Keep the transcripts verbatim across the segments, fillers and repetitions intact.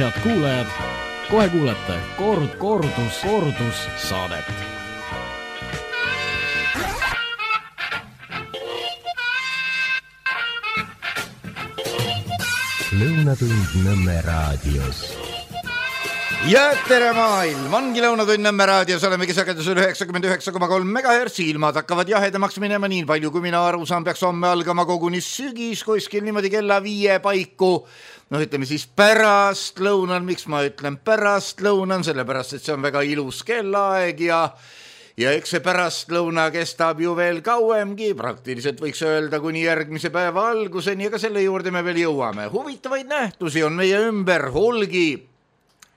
Head kuulajad, kohe kuulete kord, kordus, kordus saadet. Lõunatund Nõmme raadios. Ja tere maailm, ongi Lõunatund Nõmme raadios, olemegi sagedusel üheksakümmend üheksa koma kolm megahertsi, ilmad hakkavad jahedamaks minema, nii palju kui mina aru saan, peaks homme algama koguni sügis kuskil niimoodi kella viie paiku. No ütleme siis pärast lõunan, miks ma ütlen pärast lõunan, sellepärast, et see on väga ilus kellaaeg ja Ja eks see pärast lõuna kestab ju veel kauemgi, praktiliselt võiks öelda kuni järgmise päeva alguseni, aga selle juurde me veel jõuame. Huvitavaid nähtusi on meie ümber hulgi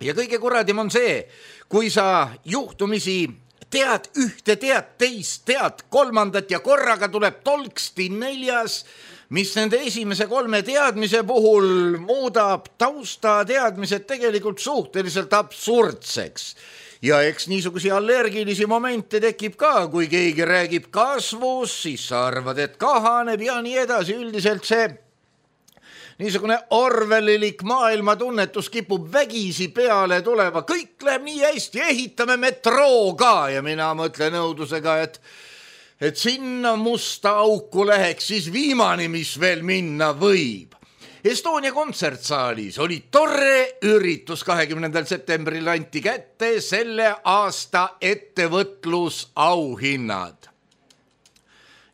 ja kõige kuradim on see, kui sa juhtumisi tead ühte, tead teist, tead kolmandat ja korraga tuleb tolksti neljas, mis nende esimese kolme teadmise puhul muudab tausta teadmised tegelikult suhteliselt absurdseks. Ja eks niisugusi allergilisi momente tekib ka, kui keegi räägib kasvus, siis sa arvad, et kahaneb ja nii edasi. Üldiselt see niisugune orwellilik maailmatunnetus kipub vägisi peale tuleva. Kõik läheb nii hästi, ehitame metroo ka ja mina mõtlen õudusega, et, et sinna musta auku läheks siis viimane, mis veel minna võib. Estonia kontsertsaalis oli tore üritus, kahekümnendal septembril anti kätte selle aasta ettevõtlusauhinnad.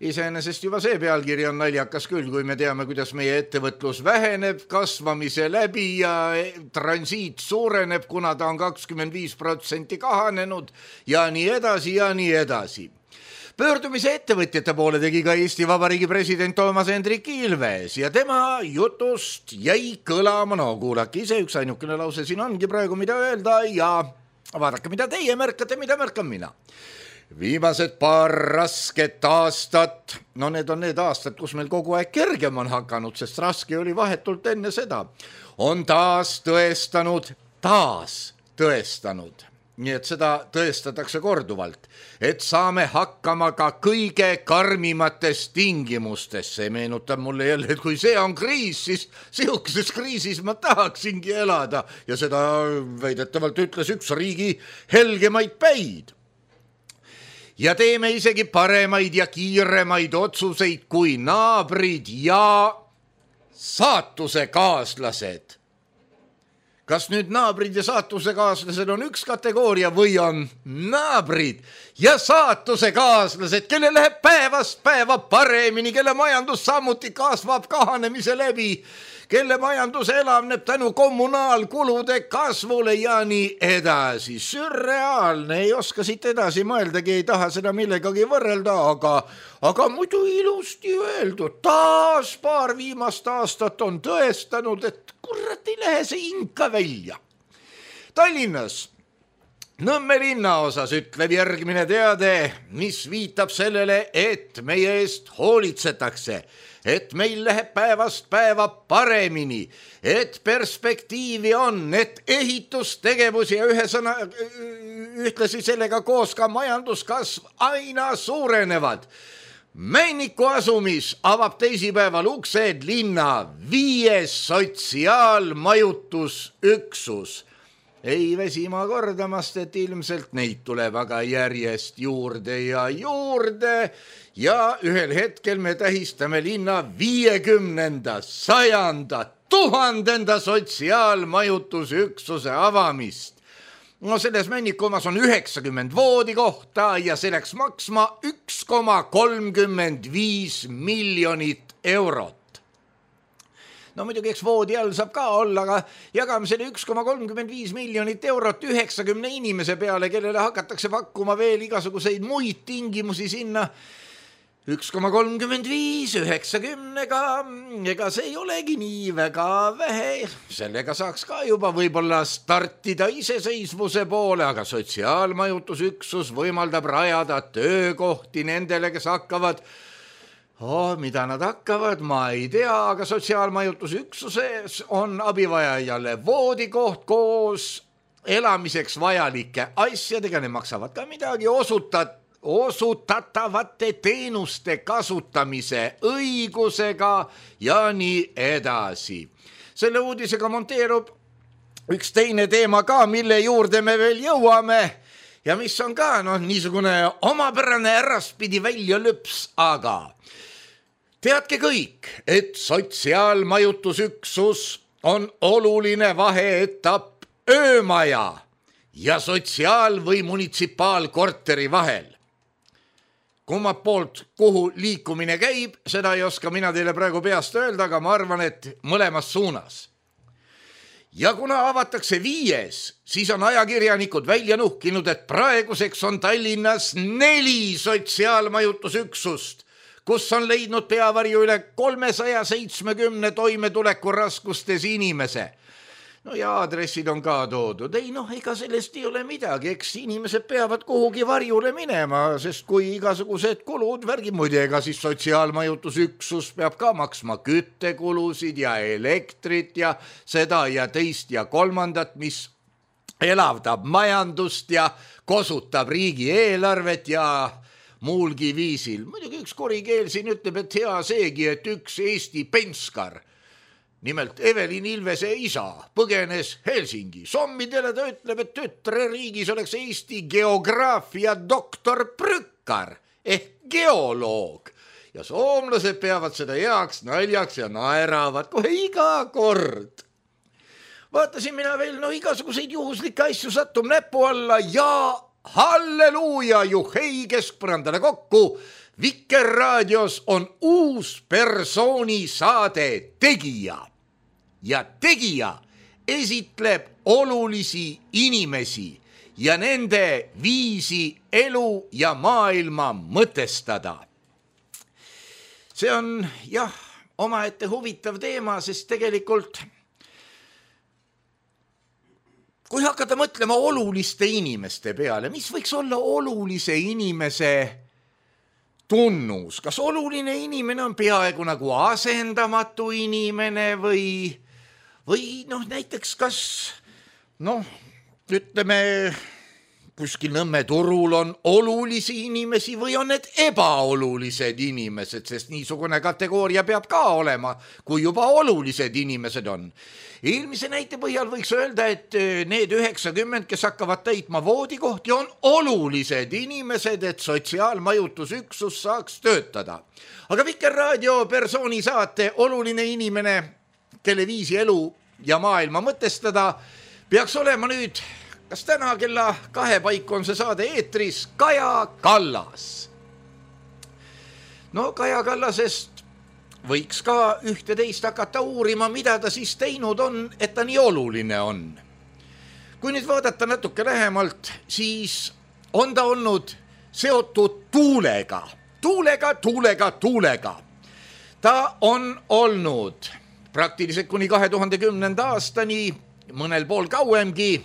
Iseenesest juba see pealkiri on naljakas küll, kui me teame, kuidas meie ettevõtlus väheneb kasvamise läbi ja transiit suureneb, kuna ta on kakskümmend viis protsenti kahanenud ja nii edasi ja nii edasi. Pöördumise ettevõtjate poole tegi ka Eesti Vabariigi president Toomas Hendrik Ilves ja tema jutust jäi kõlama, no kuulake ise, üks ainukene lause siin ongi praegu mida öelda ja vaadake, mida teie märkate, mida märkan mina. Viimased paar rasket aastat, no need on need aastad, kus meil kogu aeg kergem on hakanud, sest raske oli vahetult enne seda, on taas tõestanud, taas tõestanud. Nii et seda tõestatakse korduvalt, et saame hakkama ka kõige karmimates tingimustes. See meenutab mulle jälle, et kui see on kriis, siis sihukeses kriisis ma tahaksingi elada ja seda väidetavalt ütles üks riigi helgemaid päid. Ja teeme isegi paremaid ja kiiremaid otsuseid kui naabrid ja saatuse kaaslased. Kas nüüd naabrid ja saatuse kaaslased on üks kategooria või on naabrid ja saatuse kaaslased, kelle läheb päevast päeva paremini, kelle majandus samuti kasvab kahanemise läbi, kelle majandus elavneb tänu kommunaalkulude kasvule ja nii edasi. Sürreaalne, ei oska siit edasi mõeldagi, ei taha seda millegagi võrrelda, aga, aga muidu ilusti öeldud. Taas paar viimast aastat on tõestanud, et kurat ei lähe see inka välja. Tallinnas Nõmme linnaosas ütleb järgmine teade, mis viitab sellele, et meie eest hoolitsetakse, et meil läheb päevast päeva paremini, et perspektiivi on, et ehitustegevus ja ühe sõna, ühtlasi sellega koos ka majanduskasv aina suurenevad. Männiku asumis avab teisipäeval uksed linna viies sotsiaalmajutusüksus. Ei väsi ma kordamast, et ilmselt neid tuleb aga järjest juurde ja juurde ja ühel hetkel me tähistame linna viiekümnenda, sajanda, tuhandenda sotsiaalmajutusüksuse avamist. No selles Männikumas on üheksakümmend voodikohta ja see läks maksma üks koma kolmkümmend viis miljonit eurot. No muidugi eks voodi all saab ka olla, aga jagame selle üks koma kolmkümmend viis miljonit eurot üheksakümne inimese peale, kellele hakatakse pakkuma veel igasuguseid muid tingimusi sinna. üks koma kolmkümmend viis üheksakümnega, ega see ei olegi nii väga vähe. Sellega saaks ka juba võib-olla startida iseseisvuse poole, aga sotsiaalmajutusüksus võimaldab rajada töökohti nendele, kes hakkavad Oh, mida nad hakkavad, ma ei tea, aga sotsiaalmajutusüksuses on abivajajale voodikoht koos elamiseks vajalike asjadega, ne maksavad ka midagi, osutat, osutatavate teenuste kasutamise õigusega ja nii edasi. Selle uudisega monteerub üks teine teema ka, mille juurde me veel jõuame ja mis on ka noh, niisugune omapärane äraspidi väljalüps, aga teadke kõik, et sotsiaalmajutusüksus on oluline vaheetapp öömaja ja sotsiaal- või munitsipaalkorteri vahel. Kummad poolt, kuhu liikumine käib, seda ei oska mina teile praegu peast öelda, aga ma arvan, et mõlemas suunas. Ja kuna avatakse viies, siis on ajakirjanikud välja nuhkinud, et praeguseks on Tallinnas neli sotsiaalmajutusüksust, kus on leidnud peavarju üle kolmesaja seitsmekümne toimetuleku raskustes inimese. No ja aadressid on ka toodud. Ei noh, ega sellest ei ole midagi, eks inimesed peavad kuhugi varjule minema, sest kui igasugused kulud värgi muide, ega siis sotsiaalmajutusüksus peab ka maksma küttekulusid ja elektrit ja seda ja teist ja kolmandat, mis elavdab majandust ja kosutab riigieelarvet ja muulgi viisil. Muidugi üks korikeel siin ütleb, et hea seegi, et üks Eesti penskar, nimelt Evelin Ilvese isa, põgenes Helsingi. Sommidele ta ütleb, et tütre riigis oleks Eesti geograafia doktor Prükkar ehk geoloog. Ja soomlased peavad seda heaks naljaks ja naeravad kohe iga kord. Vaatasin mina veel no igasuguseid juhuslikke asju sattum näpu alla ja halleluuja, juhei keskpõrandale kokku. Vikerraadios on uus persooni saade Tegija. Ja tegija esitleb olulisi inimesi ja nende viisi elu ja maailma mõtestada. See on jah, omaette huvitav teema, sest tegelikult kui hakata mõtlema oluliste inimeste peale, mis võiks olla olulise inimese tunnus? Kas oluline inimene on peaaegu nagu asendamatu inimene või või noh, näiteks kas noh, ütleme kuskil Nõmme turul on olulisi inimesi või on need ebaolulised inimesed, sest niisugune kategooria peab ka olema, kui juba olulised inimesed on. Eelmise näite põhjal võiks öelda, et need üheksakümmend, kes hakkavad täitma voodikohti, on olulised inimesed, et sotsiaalmajutusüksus saaks töötada. Aga Vikerraadio persooni saate oluline inimene, kelle viisi elu ja maailma mõtestada, peaks olema nüüd, kas täna kella kahe paiku on see saade eetris, Kaja Kallas. No Kaja Kallasest võiks ka ühte teist hakata uurima, mida ta siis teinud on, et ta nii oluline on. Kui nüüd vaadata natuke lähemalt, siis on ta olnud seotud tuulega, tuulega, tuulega, tuulega. Ta on olnud praktiliselt kuni kahe tuhande kümnenda aastani, mõnel pool kauemgi,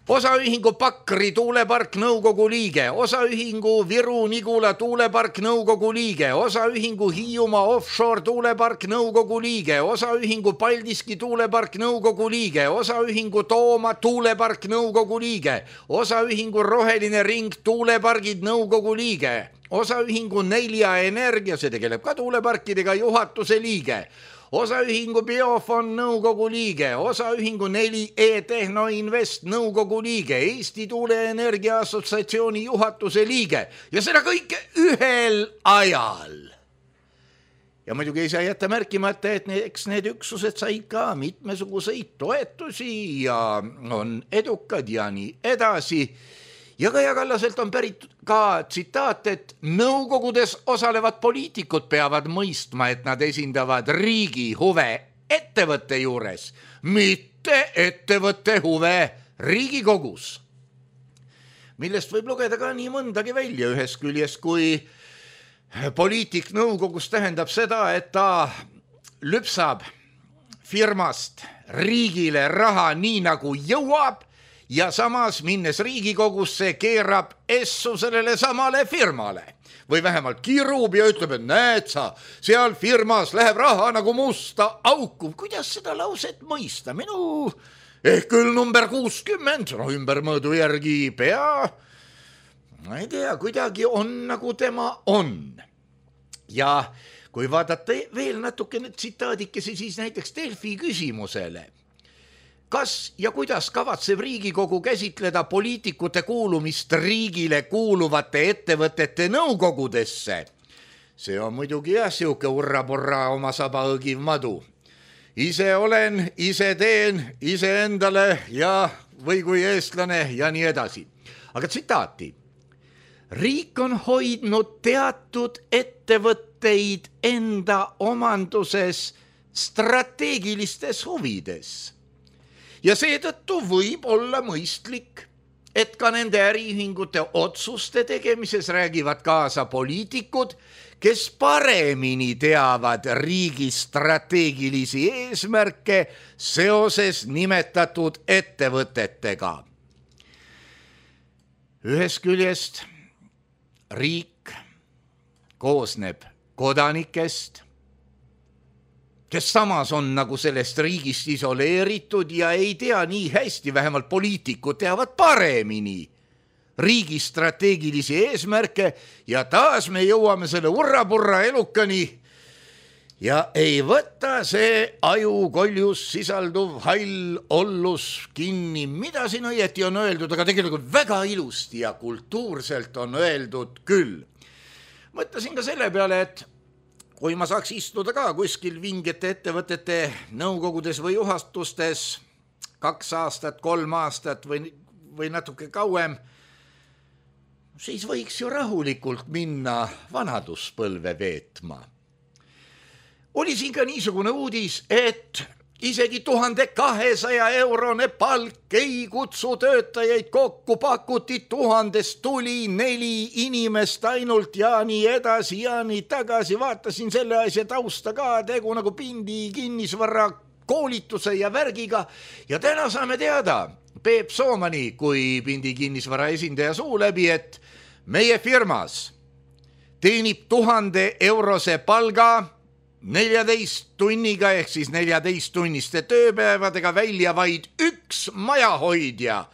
osaühingu Pakri tuulepark nõukogu liige, osaühingu Viru-Nigula tuulepark nõukogu liige, osaühingu Hiiumaa offshore tuulepark nõukogu liige, osaühingu Paldiski tuulepark nõukogu liige, osaühingu Tooma tuulepark nõukogu liige, osaühingu Roheline ring tuulepargid nõukogu liige, osaühingu Nelja Energia, see tegeleb ka tuuleparkidega, juhatuse liige, osaühingu Biofon nõukogu liige, osaühingu neli E-Tehno Invest nõukogu liige, Eesti Tuuleenergia Assotsiatsiooni juhatuse liige ja seda kõike ühel ajal. Ja muidugi ei saa jätta märkimata, et eks need üksused said ka mitmesuguseid toetusi ja on edukad ja nii edasi. Ja Kaja Kallaselt on pärit ka tsitaat, et nõukogudes osalevad poliitikud peavad mõistma, et nad esindavad riigi huve ettevõtte juures, mitte ettevõtte huve Riigikogus. Millest võib lugeda ka nii mõndagi välja ühes küljes, kui poliitik nõukogus tähendab seda, et ta lüpsab firmast riigile raha nii nagu jõuab, ja samas minnes Riigikogusse keerab essu sellele samale firmale. Või vähemalt kirub ja ütleb, et näed sa, seal firmas läheb raha nagu musta auku. Kuidas seda lauset mõista? Minu ehk küll number kuuskümmend, no ümbermõõdu järgi pea, ma ei tea, kuidagi on nagu tema on. Ja kui vaadata veel natukene tsitaadikesi, siis näiteks Delfi küsimusele, kas ja kuidas kavatseb Riigikogu käsitleda poliitikute kuulumist riigile kuuluvate ettevõtete nõukogudesse? See on muidugi jah, siuke urra-porra oma saba õgiv madu. Ise olen, ise teen, ise endale ja või kui eestlane ja nii edasi. Aga tsitaati. Riik on hoidnud teatud ettevõtteid enda omanduses strateegilistes huvides. Ja seetõttu võib olla mõistlik, et ka nende äriühingute otsuste tegemises räägivad kaasa poliitikud, kes paremini teavad riigi strateegilisi eesmärke seoses nimetatud ettevõtetega. Ühest küljest riik koosneb kodanikest, kes samas on nagu sellest riigist isoleeritud ja ei tea nii hästi, vähemalt poliitikud teavad paremini riigi strateegilisi eesmärke ja taas me jõuame selle urra-purra elukani ja ei võta see ajukoljus sisalduv hall ollus kinni, mida siin õieti on öeldud, aga tegelikult väga ilusti ja kultuurselt on öeldud küll. Mõtlesin ka selle peale, et kui ma saaks istuda ka kuskil vingete ettevõtete nõukogudes või juhatustes kaks aastat, kolm aastat või, või natuke kauem, siis võiks ju rahulikult minna vanaduspõlve veetma. Oli siin ka niisugune uudis, et isegi tuhande kahesaja eurone palk ei kutsu töötajaid kokku, pakuti tuhandest tuli neli inimest ainult ja nii edasi ja nii tagasi. Vaatasin selle asja tausta ka, tegu nagu pindi kinnisvara koolituse ja värgiga ja täna saame teada Peep Soomani kui pindi kinnisvara esindaja suu läbi, et meie firmas teenib tuhande eurose palga neljateist tunniga ehk siis neljateist tunniste tööpäevadega välja vaid üks majahoidja,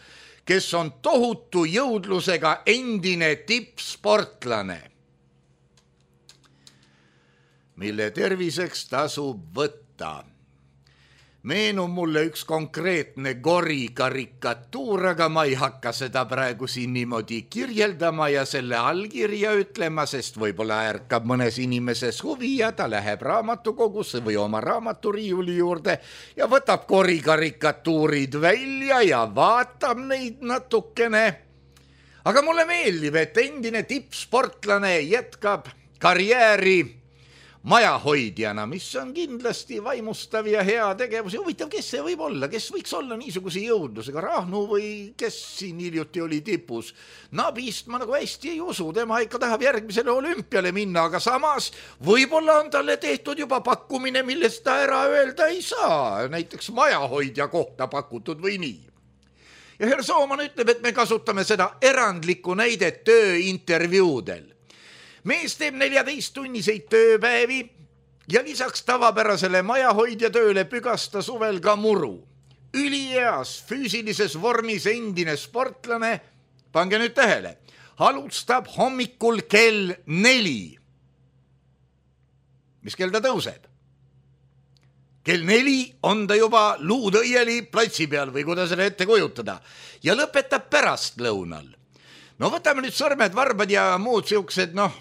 kes on tohutu jõudlusega endine tippsportlane, mille terviseks tasub võtta. Meenub mulle üks konkreetne Gori karikatuur, aga ma ei hakka seda praegu siin niimoodi kirjeldama ja selle allkirja ütlema, sest võib-olla ärkab mõnes inimeses huvi ja ta läheb raamatukogusse või oma raamaturiiuli juurde ja võtab Gori karikatuurid välja ja vaatab neid natukene. Aga mulle meeldib, et endine tippsportlane jätkab karjääri majahoidjana, mis on kindlasti vaimustav ja hea tegevus. Ja huvitav, kes see võib olla, kes võiks olla niisuguse jõudlusega, Rahnu või kes siin hiljuti oli tipus. Nabist ma nagu hästi ei usu, tema ikka tahab järgmisele olümpiale minna, aga samas võib-olla on talle tehtud juba pakkumine, millest ta ära öelda ei saa, näiteks majahoidja kohta pakutud või nii. Ja Herr Sooman ütleb, et me kasutame seda erandlikku näidet tööintervjuudel. Mees teeb neljateist tunniseid tööpäevi ja lisaks tavapärasele majahoidja tööle pügasta suvel ka muru. Ülieas füüsilises vormis endine sportlane, pange nüüd tähele, alustab hommikul kell neli. Mis kell ta tõuseb? Kell neli on ta juba luudõieli platsi peal või kuidas selle ette kujutada ja lõpetab pärast lõunal. No võtame nüüd sõrmed, varbad ja muud siuksed, noh,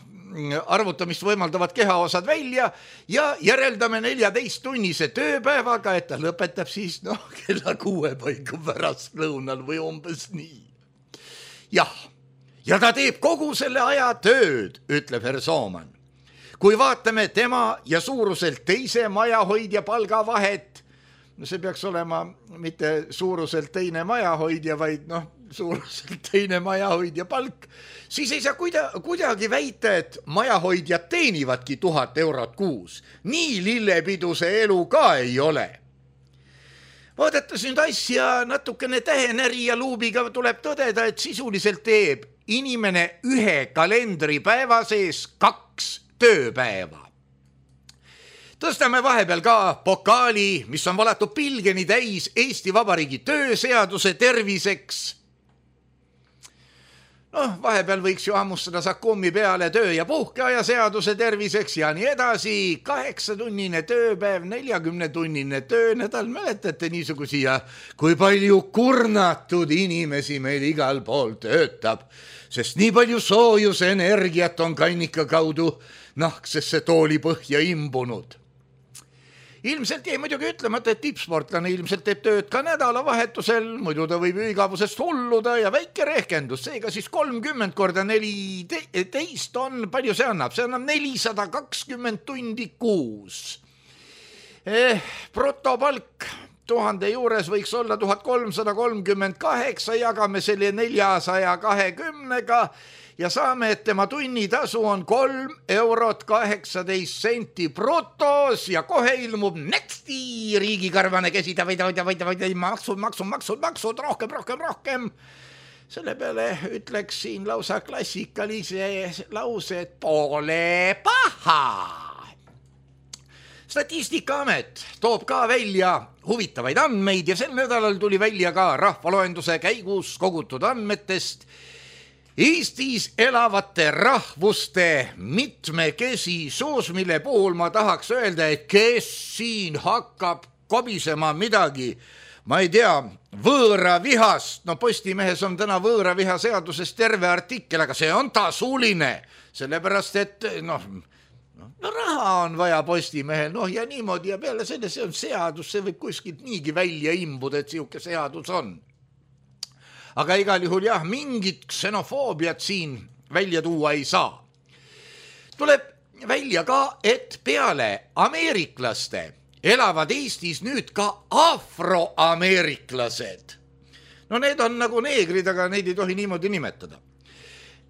arvutamist võimaldavad kehaosad välja ja järeldame neljateist tunnise tööpäevaga, et ta lõpetab siis noh, kella kuue paiku pärast lõunal või umbes nii. Jah, ja ta teeb kogu selle aja tööd, ütleb Herr Sooman. Kui vaatame tema ja suuruselt teise majahoidja palgavahet, no see peaks olema mitte suuruselt teine majahoidja, vaid noh, suuruselt teine majahoidja palk, siis ei saa kuida, kuidagi väita, et majahoidjad teenivadki tuhat eurot kuus. Nii lillepiduse elu ka ei ole. Vaadates nüüd asja natukene tähenäri ja luubiga tuleb tõdeda, et sisuliselt teeb inimene ühe kalendripäeva sees kaks tööpäeva. Tõstame vahepeal ka pokaali, mis on valatud pilgeni täis Eesti Vabariigi tööseaduse terviseks. noh, vahepeal võiks ju hammustada Sakumi peale töö ja puhkeaja seaduse terviseks ja nii edasi. Kaheksatunnine tööpäev, neljakümnetunnine töönädal, mäletate niisugusi ja kui palju kurnatud inimesi meil igal pool töötab, sest nii palju soojusenergiat on kannika kaudu nahksesse tooli põhja imbunud. Ilmselt jäi muidugi ütlemata, et tippsportlane ilmselt teeb tööd ka nädalavahetusel, muidu ta võib ju igavusest hulluda ja väike rehkendus, seega siis kolmkümmend korda neliteist on, palju see annab? See annab nelisada kakskümmend tundi kuus. Eh, brutopalk tuhande juures võiks olla tuhat kolmsada kolmkümmend kaheksa, jagame selle neljasaja kahekümnega ja saame, et tema tunnitasu on kolm eurot kaheksateist senti brutos ja kohe ilmub nexti riigikarvane käsida, vaida, vaida, vaida, vaida, maksud, maksud, maksud, maksud, rohkem, rohkem, rohkem. Selle peale ütleks siin lausa klassikalise lause, et pole paha. Statistikaamet toob ka välja huvitavaid andmeid ja sel nädalal tuli välja ka rahvaloenduse käigus kogutud andmetest Eestis elavate rahvuste mitmekesisus, mille puhul ma tahaks öelda, et kes siin hakkab kobisema midagi, ma ei tea, võõra vihast, no Postimehes on täna võõra viha seadusest terve artikkel, aga see on tasuline, sellepärast et noh, no raha on vaja Postimehel, noh ja niimoodi ja peale selle see on seadus, see võib kuskilt niigi välja imbuda, et siuke seadus on. Aga igal juhul jah, mingit ksenofoobiat siin välja tuua ei saa. Tuleb välja ka, et peale ameeriklaste elavad Eestis nüüd ka afroameeriklased. No need on nagu neegrid, aga neid ei tohi niimoodi nimetada.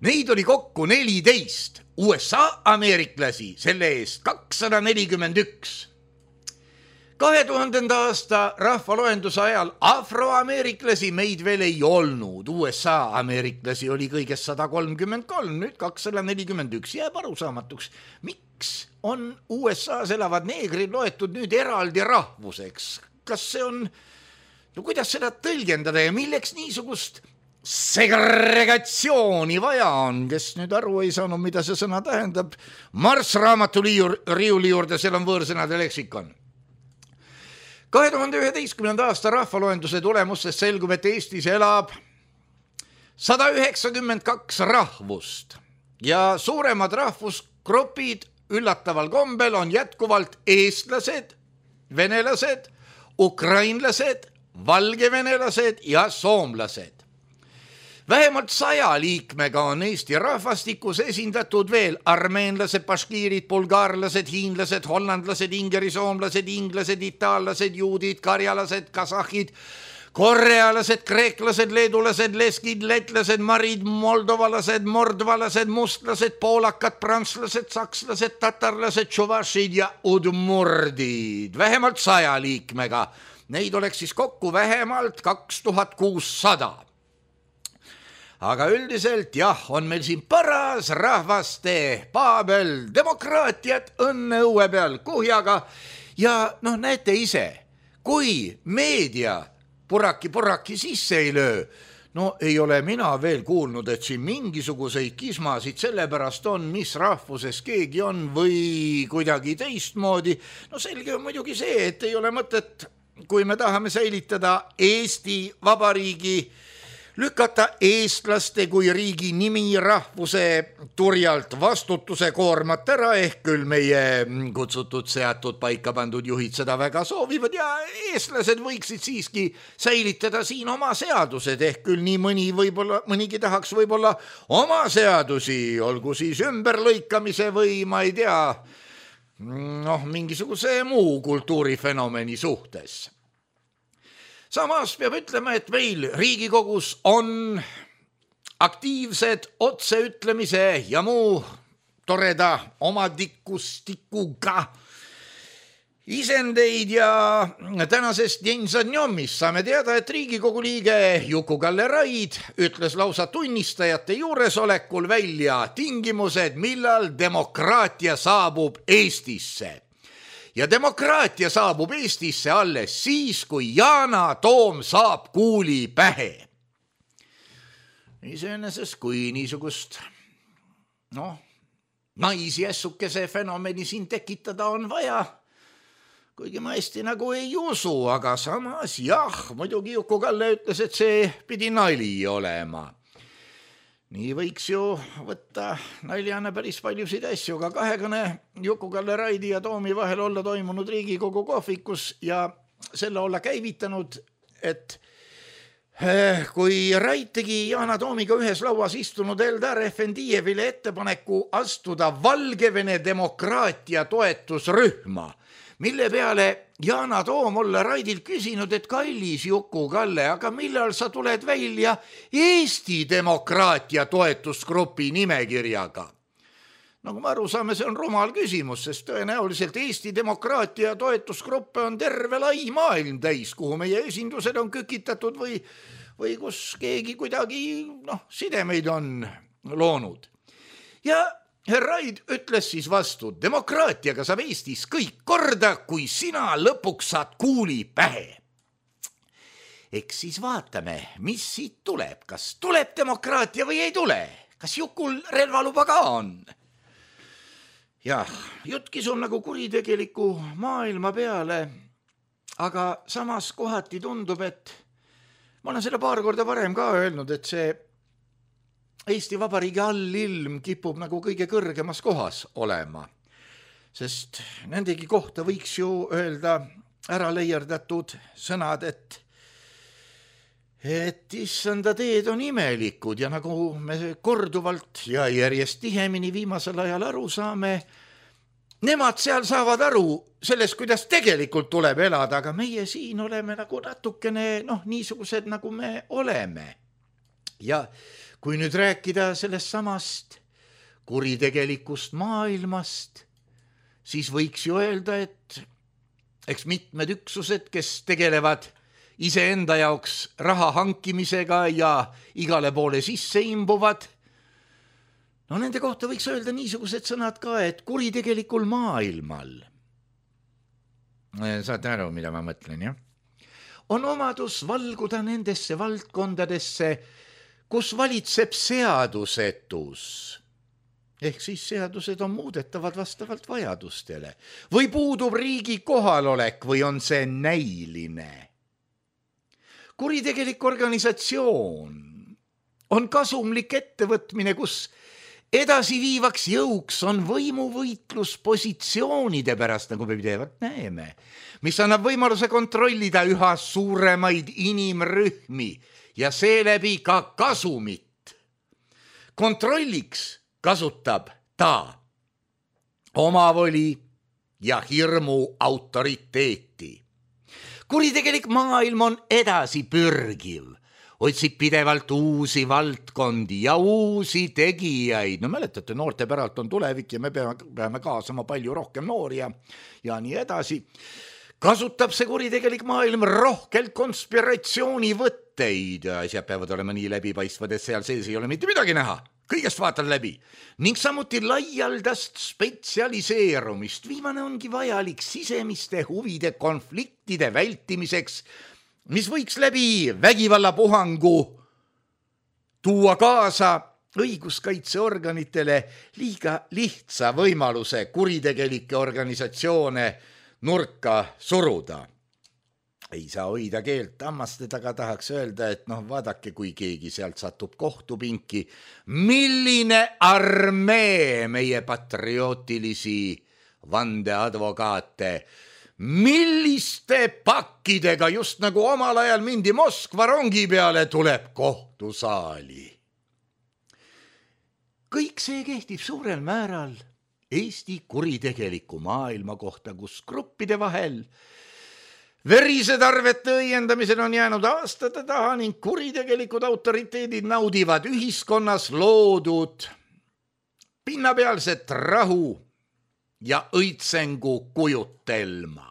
Neid oli kokku neliteist, U S A ameeriklasi selle eest kakssada nelikümmend üks. kahe tuhandenda aasta rahvaloenduse ajal afroameeriklasi meid veel ei olnud. U S A ameeriklasi oli kõigest sada kolmkümmend kolm, nüüd kakssada nelikümmend üks. Jääb arusaamatuks, miks on U S A-s elavad neegrid loetud nüüd eraldi rahvuseks? Kas see on, no kuidas seda tõlgendada ja milleks niisugust segregatsiooni vaja on? Kes nüüd aru ei saanud, mida see sõna tähendab? Marss raamatu riiuli juurde, seal on võõrsõnade leksikon. kahe tuhande üheteistkümnenda aasta rahvaloenduse tulemustest selgub, et Eestis elab sada üheksakümmend kaks rahvust ja suuremad rahvusgrupid üllataval kombel on jätkuvalt eestlased, venelased, ukrainlased, valgevenelased ja soomlased. Vähemalt saja liikmega on Eesti rahvastikus esindatud veel armeenlased, baškiirid, bulgaarlased, hiinlased, hollandlased, ingerisoomlased, inglased, itaallased, juudid, karjalased, kasahhid, korealased, kreeklased, leedulased, leskid, letlased, marid, moldovalased, mordvalased, mustlased, poolakad, prantslased, sakslased, tatarlased, tšuvašid ja udmurdid. Vähemalt saja liikmega. Neid oleks siis kokku vähemalt kaks tuhat kuussada. Aga üldiselt jah, on meil siin paras rahvaste paabel, demokraatiat õnne õue peal kuhjaga ja noh, näete ise, kui meedia puraki-puraki sisse ei löö, no ei ole mina veel kuulnud, et siin mingisuguseid kismasid sellepärast on, mis rahvuses keegi on või kuidagi teistmoodi. No selge on muidugi see, et ei ole mõtet, kui me tahame säilitada Eesti Vabariigi lükata eestlaste kui riigi nimi rahvuse turjalt vastutuse koormat ära, ehk küll meie kutsutud seatud paika pandud juhid seda väga soovivad ja eestlased võiksid siiski säilitada siin oma seadused, ehk küll nii mõni võib-olla, mõnigi tahaks võib-olla oma seadusi, olgu siis ümberlõikamise või ma ei tea, noh, mingisuguse muu kultuurifenomeni suhtes. Samas peab ütlema, et meil Riigikogus on aktiivsed otseütlemise ja muu toreda omadikustikuga isendeid ja tänasest Jensannjomist saame teada, et Riigikogu liige Juku-Kalle Raid ütles lausa tunnistajate juuresolekul välja tingimused, millal demokraatia saabub Eestisse. Ja demokraatia saabub Eestisse alles siis, kui Yana Toom saab kuuli pähe. iseenesest kui niisugust noh, naisjässukese fenomeni siin tekitada on vaja, kuigi ma hästi nagu ei usu, aga samas jah, muidugi Juku-Kalle ütles, et see pidi nali olema. Nii võiks ju võtta naljana päris paljusid asju, aga kahekõne Juku-Kalle Raidi ja Toomi vahel olla toimunud Riigikogu kohvikus ja selle olla käivitanud, et kui Rait tegi Yana Toomiga ühes lauas istunud Eldar Efendijevile ettepaneku astuda Valgevene demokraatia toetusrühma, mille peale Yana Toom olla Raidilt küsinud, et kallis Juku-Kalle, aga millal sa tuled välja Eesti demokraatia toetusgrupi nimekirjaga? Nagu me aru saame, see on rumal küsimus, sest tõenäoliselt Eesti demokraatia toetusgruppe on terve lai maailm täis, kuhu meie esindused on kükitatud või, või kus keegi kuidagi noh, sidemeid on loonud. Ja Raid ütles siis vastu, demokraatiaga saab Eestis kõik korda, kui sina lõpuks saad kuuli pähe. Eks siis vaatame, mis siit tuleb, kas tuleb demokraatia või ei tule, kas Jukul relvaluba ka on? Jah, jutt kisub nagu kuritegeliku maailma peale, aga samas kohati tundub, et ma olen seda paar korda varem ka öelnud, et see Eesti Vabariigi allilm kipub nagu kõige kõrgemas kohas olema, sest nendegi kohta võiks ju öelda ära leierdatud sõnad, et et issanda teed on imelikud ja nagu me korduvalt ja järjest tihemini viimasel ajal aru saame, nemad seal saavad aru sellest, kuidas tegelikult tuleb elada, aga meie siin oleme nagu natukene noh, niisugused nagu me oleme. Ja kui nüüd rääkida sellest samast kuritegelikust maailmast, siis võiks ju öelda, et eks mitmed üksused, kes tegelevad iseenda jaoks raha hankimisega ja igale poole sisse imbuvad, no nende kohta võiks öelda niisugused sõnad ka, et kuritegelikul maailmal, saate aru, mida ma mõtlen, jah? On omadus valguda nendesse valdkondadesse, kus valitseb seadusetus. Ehk siis seadused on muudetavad vastavalt vajadustele. Või puudub riigi kohalolek või on see näiline. Kuritegelik organisatsioon on kasumlik ettevõtmine, kus edasi viivaks jõuks on võimuvõitlus positsioonide pärast, nagu me pidevalt näeme, mis annab võimaluse kontrollida üha suuremaid inimrühmi ja seeläbi ka kasumit. Kontrolliks kasutab ta omavoli ja hirmu autoriteeti. Kuritegelik maailm on edasi pürgiv, otsib pidevalt uusi valdkondi ja uusi tegijaid. No mäletate, noorte päralt on tulevik ja me peame, peame kaasama palju rohkem noori ja, ja nii edasi. Kasutab see kuritegelik maailm rohkelt konspiratsioonivõtteid. Asjad peavad olema nii läbipaistvad, et seal sees ei ole mitte midagi näha. Kõigest vaatan läbi. Ning samuti laialdast spetsialiseerumist. Viimane ongi vajalik sisemiste huvide konfliktide vältimiseks, mis võiks läbi vägivallapuhangu tuua kaasa õiguskaitseorganitele liiga lihtsa võimaluse kuritegelikke organisatsioone nurka suruda. Ei saa hoida keelt hammaste taga, tahaks öelda, et noh, vaadake, kui keegi sealt satub kohtupinki, milline armee meie patriootilisi vandeadvokaate, milliste pakkidega just nagu omal ajal mindi Moskva rongi peale tuleb kohtusaali. Kõik see kehtib suurel määral Eesti kuritegeliku maailma kohta, kus gruppide vahel verised arvete õiendamisel on jäänud aastate taha ning kuritegelikud autoriteedid naudivad ühiskonnas loodud pinnapealset rahu ja õitsengu kujutelma.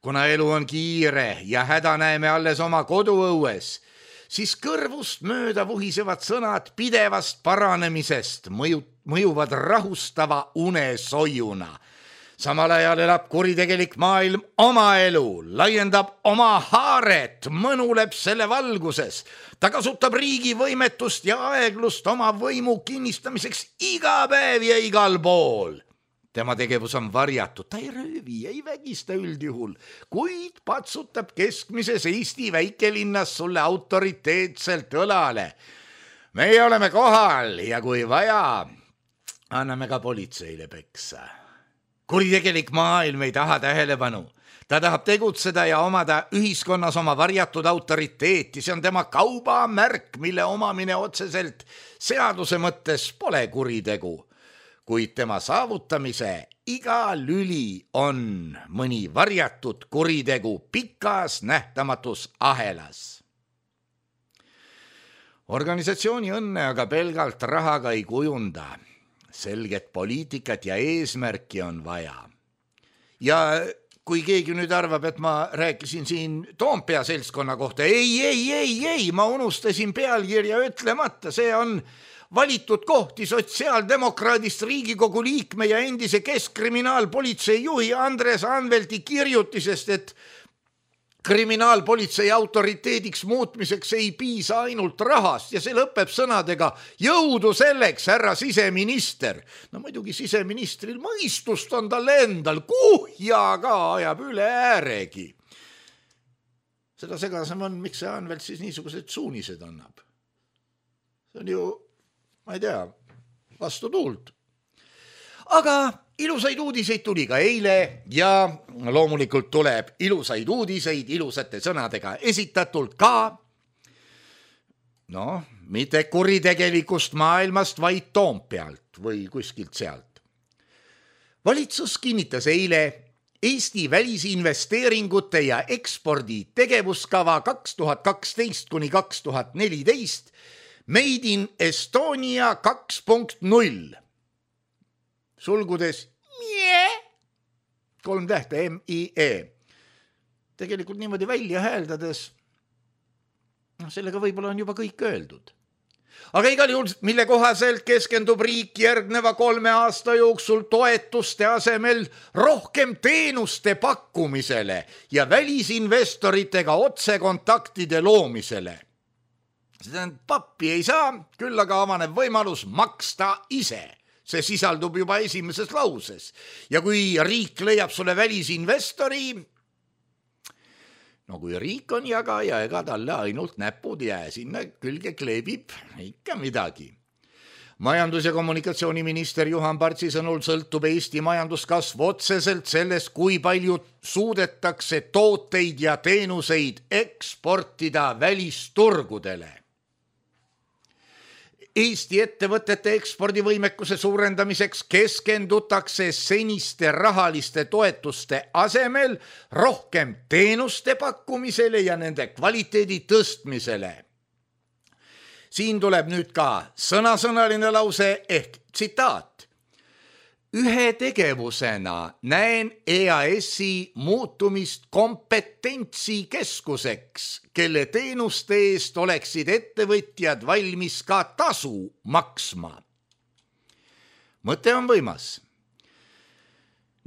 Kuna elu on kiire ja häda näeme alles oma koduõues, siis kõrvust mööda vuhisevad sõnad pidevast paranemisest mõju, mõjuvad rahustava unesoiuna. samal ajal elab kuritegelik maailm oma elu, laiendab oma haaret, mõnuleb selle valguses. Ta kasutab riigi võimetust ja aeglust oma võimu kinnistamiseks iga päev ja igal pool. Tema tegevus on varjatud, ta ei röövi, ei vägista üldjuhul, kuid patsutab keskmises Eesti väikelinnas sulle autoriteetselt õlale. Meie oleme kohal ja kui vaja, anname ka politseile peksa. Kuritegelik maailm ei taha tähelepanu. Ta tahab tegutseda ja omada ühiskonnas oma varjatud autoriteeti. See on tema kaubamärk, mille omamine otseselt seaduse mõttes pole kuritegu. Kuid tema saavutamise iga lüli on mõni varjatud kuritegu pikas nähtamatus ahelas. Organisatsiooni õnne aga pelgalt rahaga ei kujunda. Selget poliitikat ja eesmärki on vaja. Ja kui keegi nüüd arvab, et ma rääkisin siin Toompea seltskonna kohta, ei, ei, ei, ei, ma unustasin pealkirja ütlemata, see on valitud kohti sotsiaaldemokraadist Riigikogu liikme ja endise keskkriminaalpolitsei juhi Andres Anvelti kirjutisest, et kriminaalpolitsei autoriteediks muutmiseks ei piisa ainult rahast ja see lõpeb sõnadega jõudu selleks, härra siseminister. No muidugi siseministril mõistust on tal endal, kuhja ka ajab üle ääregi. Seda segasem on, miks see Anvelt siis niisugused suunised annab. See on ju, ma ei tea, vastu tuult. Aga ilusaid uudiseid tuli ka eile ja loomulikult tuleb ilusaid uudiseid ilusate sõnadega esitatult ka, no, mitte kuritegelikust maailmast, vaid Toompealt või kuskilt sealt. Valitsus kinnitas eile Eesti välisinvesteeringute ja ekspordi tegevuskava kaks tuhat kaksteist kuni kaks tuhat neliteist Made in Estonia kaks punkt null. Sulgudes mie, kolm tähte M I E. Tegelikult niimoodi välja hääldades, no sellega võib-olla on juba kõik öeldud. Aga igal juhul, mille kohaselt keskendub riik järgneva kolme aasta jooksul toetuste asemel rohkem teenuste pakkumisele ja välisinvestoritega otsekontaktide loomisele. Seda pappi ei saa, küll aga avaneb võimalus maksta ise. See sisaldub juba esimeses lauses. Ja kui riik leiab sulle välisinvestori, no kui riik on jagaja, ega talle ainult näpud jää, sinna külge kleebib ikka midagi. Majandus- ja kommunikatsiooniminister Juhan Partsi sõnul sõltub Eesti majanduskasv otseselt sellest, kui palju suudetakse tooteid ja teenuseid eksportida välisturgudele. Eesti ettevõtete ekspordivõimekuse suurendamiseks keskendutakse seniste rahaliste toetuste asemel rohkem teenuste pakkumisele ja nende kvaliteedi tõstmisele. Siin tuleb nüüd ka sõnasõnaline lause ehk tsitaat. Ühe tegevusena näen E A S-i muutumist kompetentsikeskuseks, kelle teenuste eest oleksid ettevõtjad valmis ka tasu maksma. Mõte on võimas.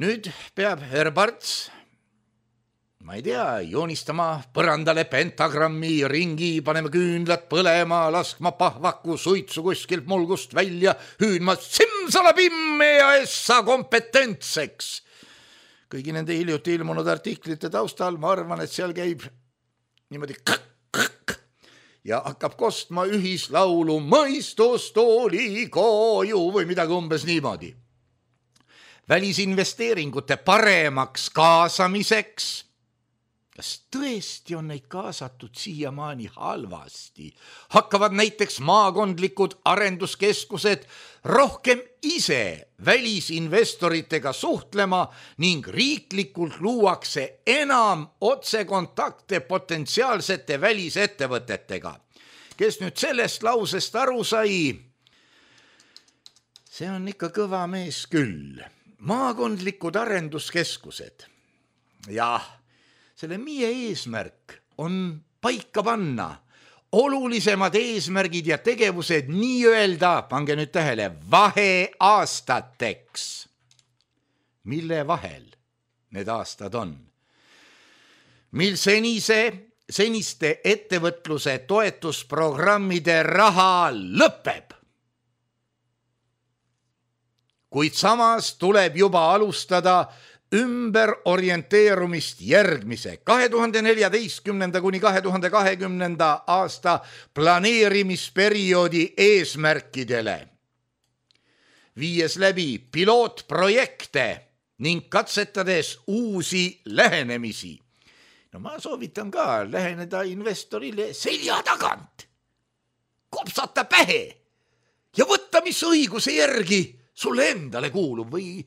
Nüüd peab Herr Parts, ma ei tea, joonistama põrandale pentagrammi ringi, panema küünlad põlema, laskma pahvaku suitsu kuskilt mulgust välja, hüüdma simsalabim E A S-a kompetentseks. Kõigi nende hiljuti ilmunud artiklite taustal ma arvan, et seal käib niimoodi kõk-kõk ja hakkab kostma ühislaulu mõistust oli koju või midagi umbes niimoodi. Välisinvesteeringute paremaks kaasamiseks, kas tõesti on neid kaasatud siiamaani halvasti? Hakkavad näiteks maakondlikud arenduskeskused rohkem ise välisinvestoritega suhtlema ning riiklikult luuakse enam otsekontakte potentsiaalsete välisettevõtetega. Kes nüüd sellest lausest aru sai, see on ikka kõva mees küll. Maakondlikud arenduskeskused. Jah, selle meie eesmärk on paika panna olulisemad eesmärgid ja tegevused nii öelda, pange nüüd tähele, vaheaastateks. mille vahel need aastad on, mil senise, seniste ettevõtluse toetusprogrammide raha lõpeb. Kuid samas tuleb juba alustada ümber orienteerumist järgmise kahe tuhande neljateistkümnenda kuni kahe tuhande kahekümnenda aasta planeerimisperioodi eesmärkidele, viies läbi pilootprojekte ning katsetades uusi lähenemisi. No ma soovitan ka läheneda investorile selja tagant, kopsata pähe ja võtta, mis õiguse järgi sulle endale kuulub või,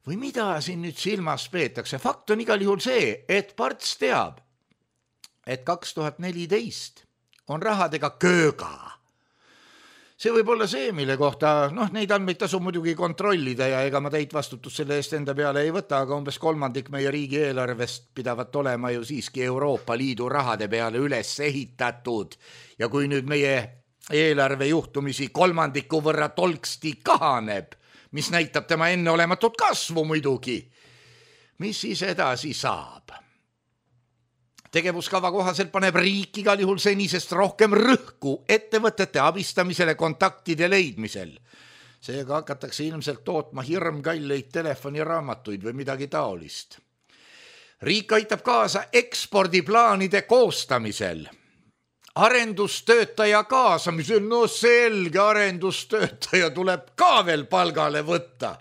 või mida siin nüüd silmas peetakse. Fakt on igal juhul see, et Parts teab, et kaks tuhat neliteist on rahadega kööga. See võib olla see, mille kohta, noh, neid andmeid tasub muidugi kontrollida ja ega ma täit vastutust selle eest enda peale ei võta, aga umbes kolmandik meie riigi eelarvest pidavat olema ju siiski Euroopa Liidu rahade peale üles ehitatud. Ja kui nüüd meie eelarve juhtumisi kolmandiku võrra tolksti kahaneb, mis näitab tema enneolematut kasvu muidugi, mis siis edasi saab? Tegevuskava kohaselt paneb riik igal juhul senisest rohkem rõhku ettevõtete abistamisele kontaktide leidmisel. Seega hakatakse ilmselt tootma hirmkalleid telefoniraamatuid või midagi taolist. Riik aitab kaasa ekspordiplaanide koostamisel, arendustöötaja kaasamisel, no selge arendustöötaja tuleb ka veel palgale võtta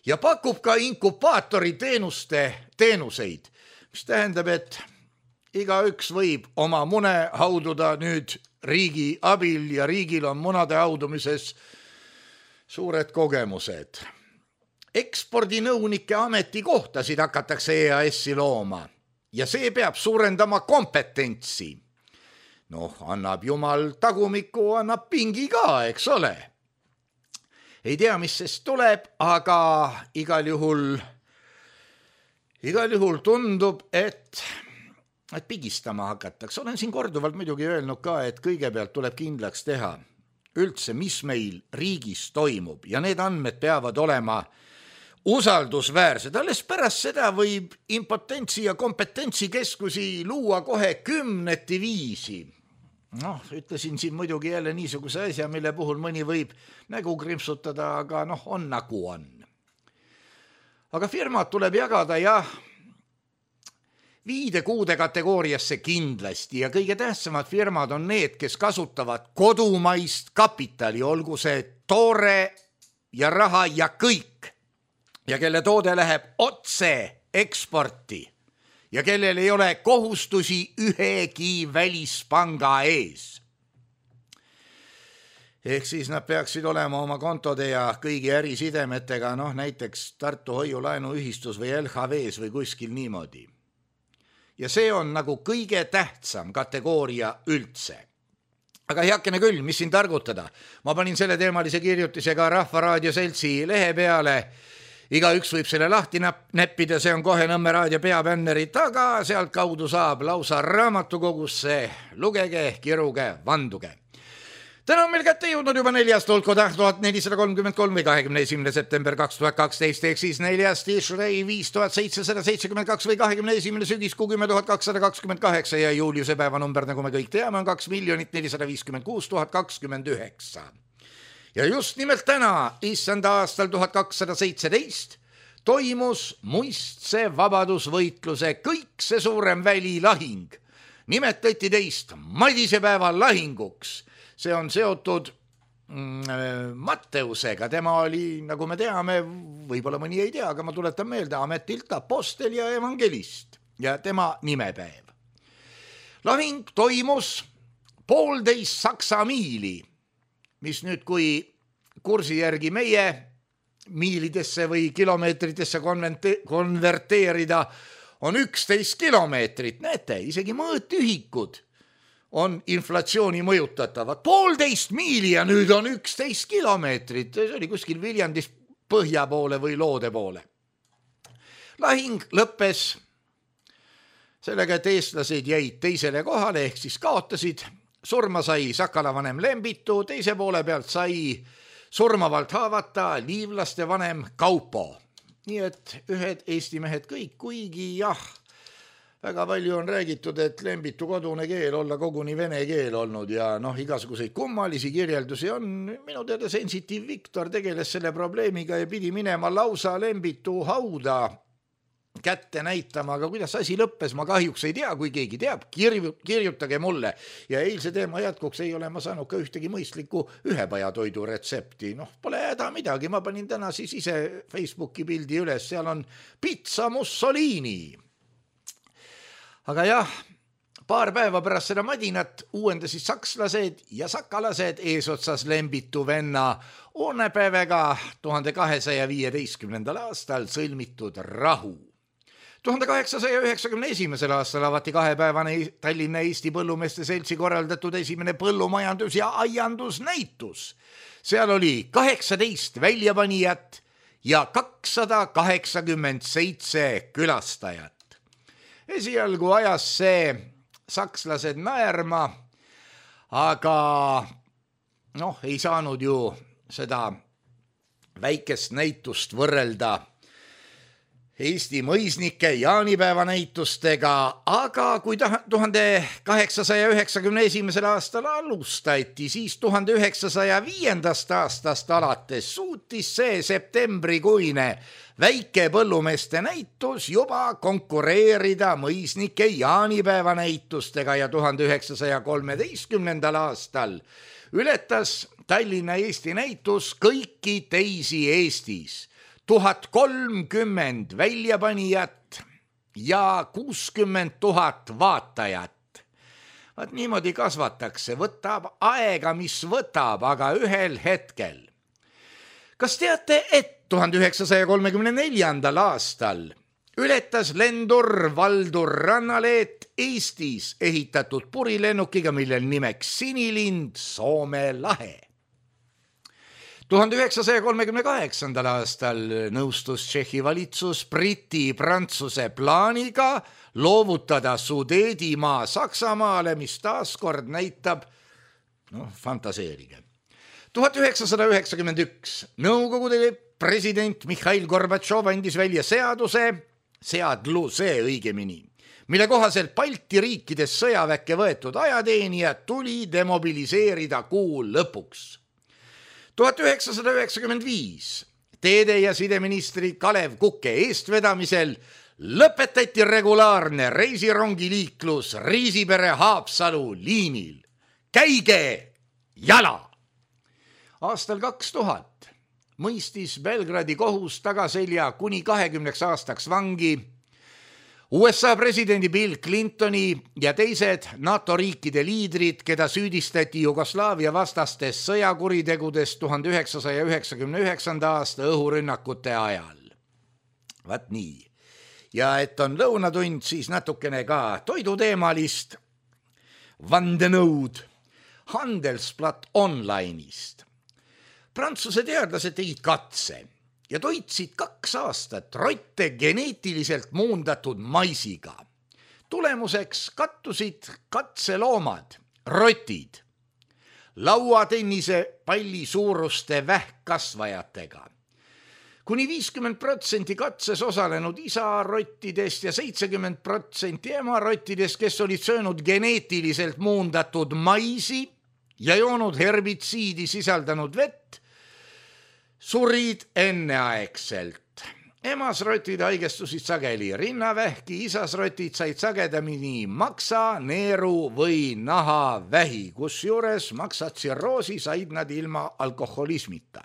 ja pakub ka inkubaatori teenuste teenuseid, mis tähendab, et igaüks võib oma mune haududa nüüd riigi abil ja riigil on munade haudumises suured kogemused. Ekspordinõunike ametikohtasid hakatakse E A S-i looma ja see peab suurendama kompetentsi. Noh, annab jumal tagumiku, annab pingi ka, eks ole. Ei tea, mis sest tuleb, aga igal juhul, igal juhul tundub, et et pigistama hakatakse. Olen siin korduvalt muidugi öelnud ka, et kõigepealt tuleb kindlaks teha üldse, mis meil riigis toimub ja need andmed peavad olema usaldusväärsed. Alles pärast seda võib impotentsi ja kompetentsikeskusi luua kohe kümneti viisi. Noh, ütlesin siin muidugi jälle niisuguse asja, mille puhul mõni võib nägu krimpsutada, aga noh, on nagu on. Aga firmad tuleb jagada jah, viide kuude kategooriasse kindlasti ja kõige tähtsamad firmad on need, kes kasutavad kodumaist kapitali, olgu see toore ja raha ja kõik, ja kelle toode läheb otse eksporti ja kellel ei ole kohustusi ühegi välispanga ees. Ehk siis nad peaksid olema oma kontode ja kõigi ärisidemetega, noh näiteks Tartu Hoiulaenuühistus või L H V-s või kuskil niimoodi. Ja see on nagu kõige tähtsam kategooria üldse. Aga heakene küll, mis siin targutada? Ma panin selle teemalise kirjutise ka Rahvaraadio Seltsi lehe peale. Igaüks võib selle lahti näppida, see on kohe Nõmme raadio peabänneri taga, sealt kaudu saab lausa raamatukogusse. Lugege, kiruge, vanduge. Täna on meil kätte jõudnud juba neljas tulko tuhat nelisada kolmkümmend kolm või kahekümne esimene september kaks tuhat kaksteist, ehk siis neljas Tishrei viis tuhat seitsesada seitsekümmend kaks või kahekümne esimene sügiskuu kümme tuhat kakssada kakskümmend kaheksa ja juuliuse päeva number, nagu me kõik teame, on kaks miljonit nelisada viiskümmend kuus tuhat kakskümmend üheksa. Ja just nimelt täna, issanda aastal tuhat kakssada seitseteist, toimus muistse vabadusvõitluse kõikse suurem välilahing. Nimetati teist Madisepäeva lahinguks. See on seotud mm, Matteusega, tema oli, nagu me teame, võib-olla mõni ei tea, aga ma tuletan meelde, ametilt apostel ja evangelist ja tema nimepäev. Lahing toimus poolteist saksa miili, mis nüüd kui kursi järgi meie miilidesse või kilomeetritesse konverteerida on üksteist kilomeetrit, näete, isegi mõõtühikud on inflatsiooni mõjutatavad. Poolteist miili ja nüüd on üksteist kilomeetrit. See oli kuskil Viljandis põhja poole või loode poole. Lahing lõppes sellega, et eestlased jäid teisele kohale, ehk siis kaotasid. Surma sai Sakala vanem Lembitu, teise poole pealt sai surmavalt haavata liivlaste vanem Kaupo. nii et ühed Eesti mehed kõik, kuigi jah, väga palju on räägitud, et Lembitu kodune keel olla koguni vene keel olnud ja noh, igasuguseid kummalisi kirjeldusi on. Minu teada Sensitiiv Viktor tegeles selle probleemiga ja pidi minema lausa Lembitu hauda kätte näitama, aga kuidas asi lõppes, ma kahjuks ei tea, kui keegi teab, kirju, kirjutage mulle. Ja eilse teema jätkuks ei ole ma saanud ka ühtegi mõistlikku ühepajatoidu retsepti. Noh, pole häda midagi, ma panin täna siis ise Facebooki pildi üles, seal on pizza Mussolini. Aga jah, paar päeva pärast seda madinat uuendasid sakslased ja sakalased eesotsas Lembitu venna Oonepäevega tuhande kahesaja viieteistkümnendal aastal sõlmitud rahu. tuhande kaheksasaja üheksakümne esimesel aastal avati kahepäevane Tallinna Eesti Põllumeeste Seltsi korraldatud esimene põllumajandus- ja aiandusnäitus. Seal oli kaheksateist väljapanijat ja kakssada kaheksakümmend seitse külastajat. Esialgu ajas see sakslased naerma, aga noh, ei saanud ju seda väikest näitust võrrelda Eesti mõisnike jaanipäeva näitustega, aga kui tuhande kaheksasaja üheksakümne esimesel aastal alustati, siis tuhande üheksasaja viiendast aastast alates suutis see septembrikuine väike põllumeeste näitus juba konkureerida mõisnike jaanipäeva näitustega ja tuhande üheksasaja kolmeteistkümnendal aastal ületas Tallinna Eesti näitus kõiki teisi Eestis. tuhat kolmkümmend väljapanijat ja kuuskümmend tuhat vaatajat. Vaat niimoodi kasvatakse, võtab aega, mis võtab, aga ühel hetkel. Kas teate, et tuhande üheksasaja kolmekümne neljandal aastal ületas lendur Valdur Rannaleet Eestis ehitatud purilennukiga, millel nimeks Sinilind Soome lahe. tuhande üheksasaja kolmekümne kaheksandal aastal nõustus Tšehhi valitsus Briti-Prantsuse plaaniga loovutada Sudeedimaa Saksamaale, mis taaskord näitab, noh, fantaseerige. tuhat üheksasada üheksakümmend üks Nõukogude president Mihhail Gorbatšov andis välja seaduse, seadluse õigemini, mille kohaselt Balti riikides sõjaväkke võetud ajateenijad tuli demobiliseerida kuu lõpuks. tuhat üheksasada üheksakümmend viis teede- ja sideministri Kalev Kuke eestvedamisel lõpetati regulaarne reisirongiliiklus Riisipere-Haapsalu liinil. Käige jala! Aastal kaks tuhat mõistis Belgradi kohus tagaselja kuni kahekümneks aastaks vangi U S A presidendi Bill Clintoni ja teised NATO riikide liidrid, keda süüdistati Jugoslaavia vastastes sõjakuritegudes tuhande üheksasaja üheksakümne üheksanda aasta õhurünnakute ajal. Vaat nii. Ja et on lõunatund, siis natukene ka toiduteemalist vandenõud Handelsblatt Online'ist. Prantsuse teadlased tegid katse ja toitsid kaks aastat rotte geneetiliselt muundatud maisiga. Tulemuseks kattusid katseloomad, rotid, lauatennise palli suuruste vähkkasvajatega. Kuni viiskümmend protsenti katses osalenud isarottidest ja seitsekümmend protsenti emarottidest, kes olid söönud geneetiliselt muundatud maisi ja joonud herbitsiidi sisaldanud vett, surid enneaegselt. Emasrotid haigestusid sageli rinnavähki, isasrotid said sagedamini maksa, neeru või nahavähi, kus juures maksatsirroosi said nad ilma alkoholismita.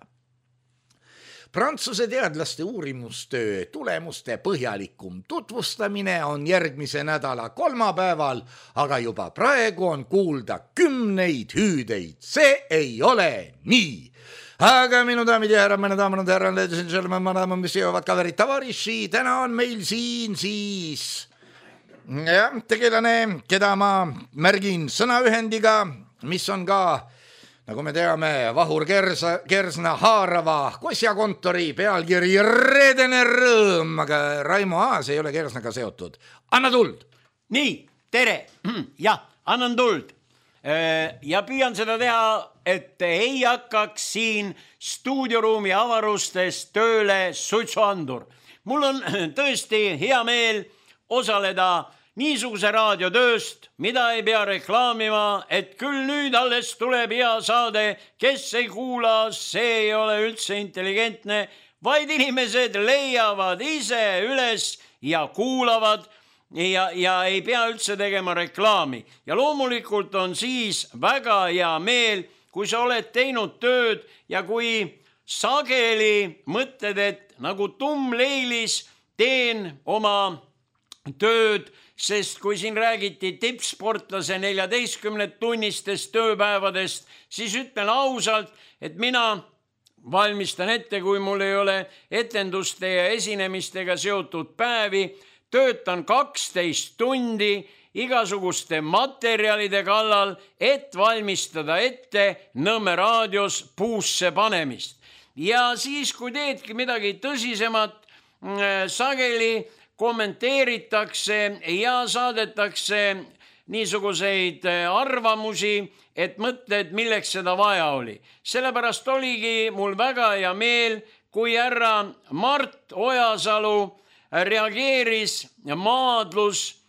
Prantsuse teadlaste uurimustöö tulemuste põhjalikum tutvustamine on järgmise nädala kolmapäeval, aga juba praegu on kuulda kümneid hüüdeid. See ei ole nii. Aga minu daamid ja härrad, minu daamid ja härrad, ladies and gentlemen, madame, mis jõuavad kaverid tavariši, täna on meil siin siis jah, tegelane, keda ma märgin sõnaühendiga, mis on ka, nagu me teame, Vahur Kersa, Kersna haarava kosjakontori pealkiri Reedene rõõm, aga Raimo Aas ei ole Kersnaga seotud. Anna tuld! Nii, tere! Jah, annan tuld. Ja püüan seda teha, et ei hakkaks siin stuudioruumi avarustes tööle suitsuandur. mul on tõesti hea meel osaleda niisuguse raadiotööst, mida ei pea reklaamima, et küll nüüd alles tuleb hea saade, kes ei kuula, see ei ole üldse intelligentne, vaid inimesed leiavad ise üles ja kuulavad ja, ja ei pea üldse tegema reklaami. Ja loomulikult on siis väga hea meel, kui sa oled teinud tööd ja kui sageli mõtled, et nagu tummleilis teen oma tööd, sest kui siin räägiti tippsportlase neljateistkümne tunnistest tööpäevadest, siis ütlen ausalt, et mina valmistan ette, kui mul ei ole etenduste ja esinemistega seotud päevi, töötan kaksteist tundi igasuguste materjalide kallal, et valmistada ette Nõmme raadios puusse panemist. Ja siis, kui teedki midagi tõsisemat, sageli kommenteeritakse ja saadetakse niisuguseid arvamusi, et mõtled, milleks seda vaja oli. Sellepärast oligi mul väga hea meel, kui härra Mart Ojasalu reageeris maadlus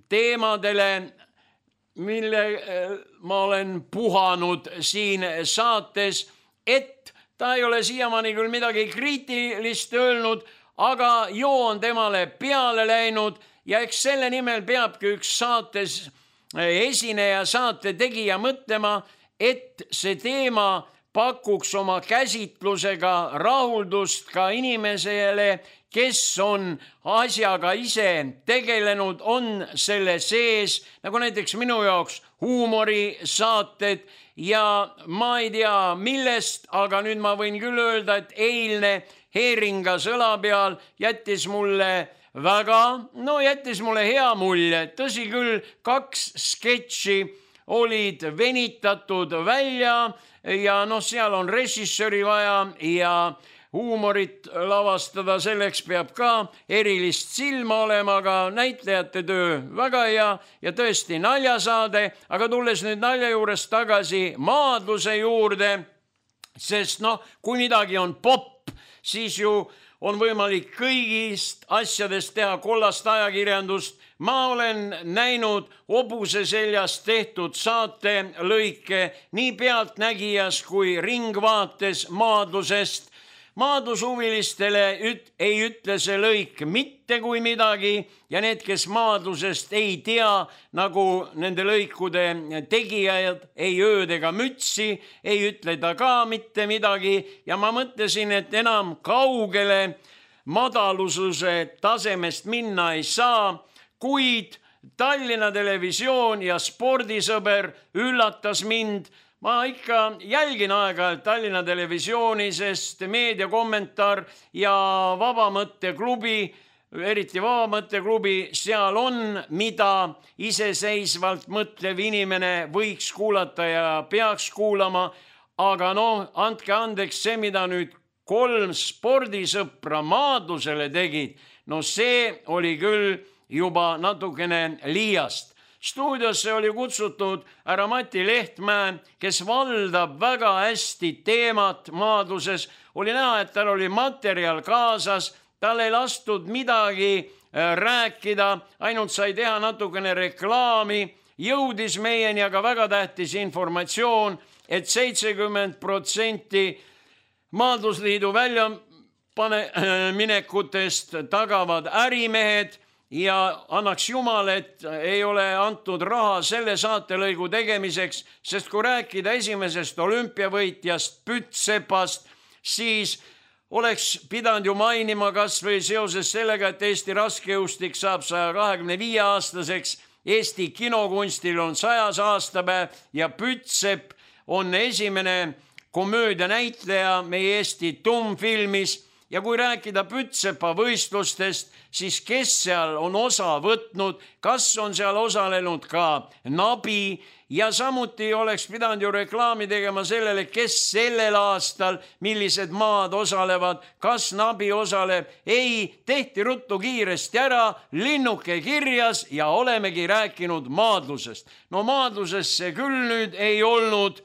teemadele, mille ma olen puhanud siin saates, et ta ei ole siiamaani küll midagi kriitilist öelnud, aga joo on temale peale läinud ja eks selle nimel peabki üks saates esineja, saate tegija mõtlema, et see teema pakuks oma käsitlusega rahuldust ka inimesele, kes on asjaga ise tegelenud, on selle sees, nagu näiteks minu jaoks huumorisaated ja ma ei tea millest, aga nüüd ma võin küll öelda, et eilne Heeringa sõla peal jättis mulle väga, no jättis mulle hea mulje. Tõsi küll, kaks sketši olid venitatud välja ja noh, seal on režissööri vaja ja huumorit lavastada, selleks peab ka erilist silma olema, aga näitlejate töö väga hea ja tõesti naljasaade, aga tulles nüüd nalja juurest tagasi maadluse juurde, sest noh, kui midagi on popp, siis ju on võimalik kõigist asjadest teha kollast ajakirjandust. Ma olen näinud Hobuse seljast tehtud saate lõike nii Pealtnägijas kui Ringvaates maadlusest. Maadlushuvilistele üt, ei ütle see lõik mitte kui midagi ja need, kes maadlusest ei tea, nagu nende lõikude tegijad, ei ööd ega mütsi, ei ütle ta ka mitte midagi ja ma mõtlesin, et enam kaugele madalususe tasemest minna ei saa, kuid Tallinna Televisioon ja Spordisõber üllatas mind. Ma ikka jälgin aeg-ajalt Tallinna Televisiooni, sest meediakommentaar ja Vabamõtteklubi, eriti Vabamõtteklubi, seal on, mida iseseisvalt mõtlev inimene võiks kuulata ja peaks kuulama, aga noh, andke andeks, see, mida nüüd kolm spordisõpra maadlusele tegid, no see oli küll juba natukene liiast. Stuudiosse oli kutsutud härra Mati Lehtmäe, kes valdab väga hästi teemat maadluses. Oli näha, et tal oli materjal kaasas, tal ei lastud midagi rääkida, ainult sai teha natukene reklaami. Jõudis meieni aga väga tähtis informatsioon, et seitsekümmend protsenti maadlusliidu väljaminekutest tagavad ärimehed. Ja annaks jumal, et ei ole antud raha selle saatelõigu tegemiseks, sest kui rääkida esimesest olümpiavõitjast Pütsepast, siis oleks pidanud ju mainima kas või seoses sellega, et Eesti raskejõustik saab saja kahekümne viie aastaseks, Eesti kinokunstil on sajas aastapäev ja Pütsep on esimene komöödianäitleja meie Eesti tummfilmis. Ja kui rääkida Pütsepa võistlustest, siis kes seal on osa võtnud, kas on seal osalenud ka Nabi ja samuti oleks pidanud ju reklaami tegema sellele, kes sellel aastal, millised maad osalevad, kas Nabi osaleb. Ei, tehti ruttu kiiresti ära, linnuke kirjas ja olemegi rääkinud maadlusest. No maadlusest see küll nüüd ei olnud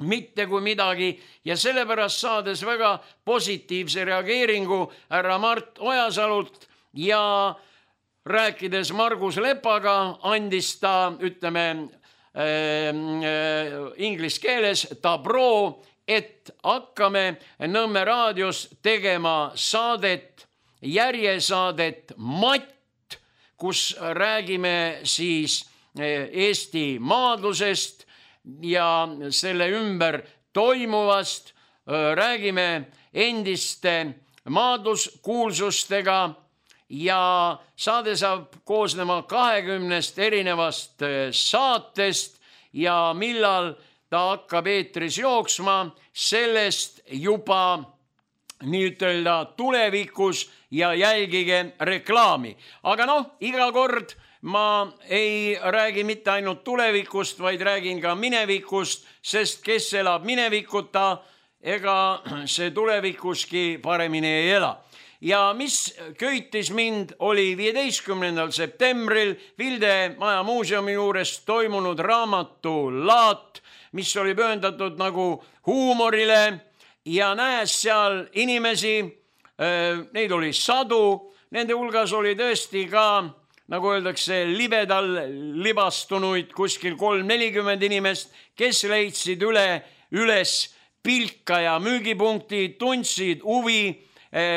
mitte kui midagi ja sellepärast saades väga positiivse reageeringu härra Mart Ojasalult ja rääkides Margus Lepaga andis ta, ütleme äh, äh, inglise keeles tabro, et hakkame Nõmme raadios tegema saadet, järjesaadet Matt, kus räägime siis Eesti maadlusest ja selle ümber toimuvast, räägime endiste maadluskuulsustega ja saade saab koosnema kahekümnest erinevast saatest ja millal ta hakkab eetris jooksma, sellest juba nii-ütelda tulevikus ja jälgige reklaami. Aga noh, iga kord ma ei räägi mitte ainult tulevikust, vaid räägin ka minevikust, sest kes elab minevikuta, ega see tulevikuski paremini ei ela. Ja mis köitis mind, oli viieteistkümnendal septembril Vilde Maja muuseumi juures toimunud raamatulaat, mis oli pühendatud nagu huumorile ja näes seal inimesi, neid oli sadu, nende hulgas oli tõesti ka, nagu öeldakse, libedal libastunuid kuskil kolm nelikümmend inimest, kes leidsid üle, üles pilka ja müügipunkti, tundsid huvi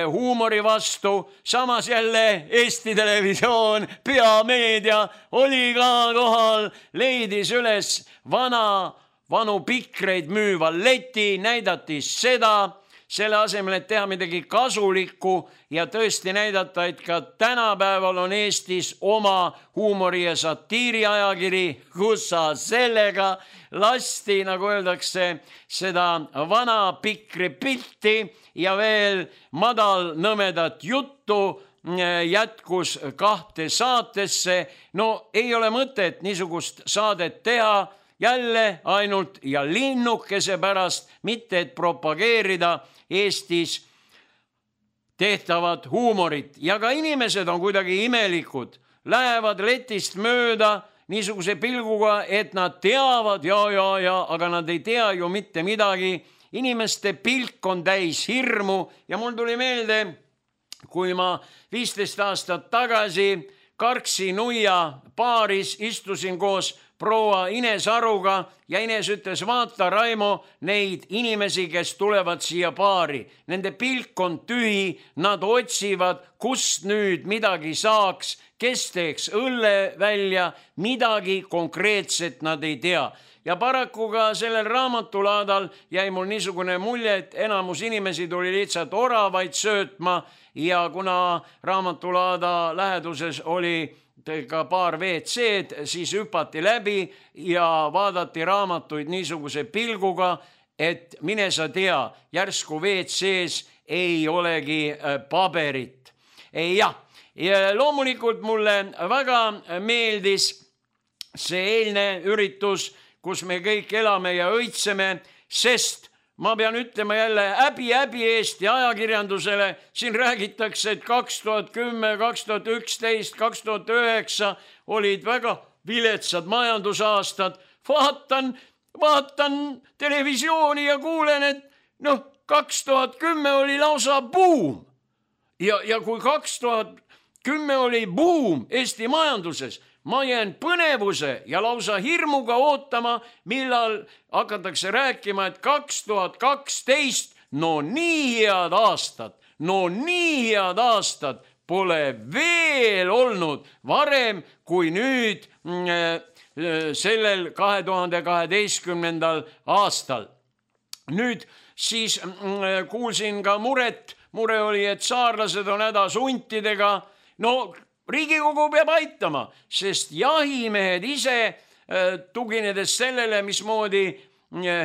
huumori vastu, samas jälle Eesti Televisioon, peameedia oli ka kohal, leidis üles vana, vanu pikreid müüva leti, näidati seda, selle asemel, et teha midagi kasulikku ja tõesti näidata, et ka tänapäeval on Eestis oma huumori- ja satiiriajakiri, kus sa sellega lasti, nagu öeldakse, seda vana pikri pilti ja veel madal nõmedat juttu jätkus kahte saatesse. No ei ole mõtet niisugust saadet teha jälle ainult ja linnukese pärast, mitte et propageerida Eestis tehtavat huumorit. Ja ka inimesed on kuidagi imelikud, lähevad letist mööda niisuguse pilguga, et nad teavad ja, ja, ja, aga nad ei tea ju mitte midagi. Inimeste pilk on täis hirmu ja mul tuli meelde, kui ma viisteist aastat tagasi Karksi Nuia baaris istusin koos proua Ines Aruga ja Ines ütles, vaata Raimo neid inimesi, kes tulevad siia baari. Nende pilk on tühi, nad otsivad, kust nüüd midagi saaks, kes teeks õlle välja, midagi konkreetset nad ei tea. Ja paraku ka sellel raamatulaadal jäi mul niisugune mulje, et enamus inimesi tuli lihtsalt oravaid söötma ja kuna raamatulaada läheduses oli ka paar V C-d, siis hüpati läbi ja vaadati raamatuid niisuguse pilguga, et mine sa tea, järsku V C-s ei olegi paberit. Jah, ja loomulikult mulle väga meeldis see eilne üritus, kus me kõik elame ja õitseme, sest ma pean ütlema jälle häbi, häbi Eesti ajakirjandusele, siin räägitakse, et kaks tuhat kümme, kaks tuhat üksteist, kaks tuhat üheksa olid väga viletsad majandusaastad. Vaatan, vaatan televisiooni ja kuulen, et noh, kaks tuhat kümme oli lausa buum. Ja, ja kui kaks tuhat kümme oli buum Eesti majanduses, ma jään põnevuse ja lausa hirmuga ootama, millal hakatakse rääkima, et kaks tuhat kaksteist, no nii head aastad, no nii head aastad pole veel olnud varem kui nüüd sellel kahe tuhande kaheteistkümnendal aastal. Nüüd siis kuulsin ka muret, mure oli, et saarlased on hädas huntidega, no Riigikogu peab aitama, sest jahimehed ise, tuginedes sellele, mismoodi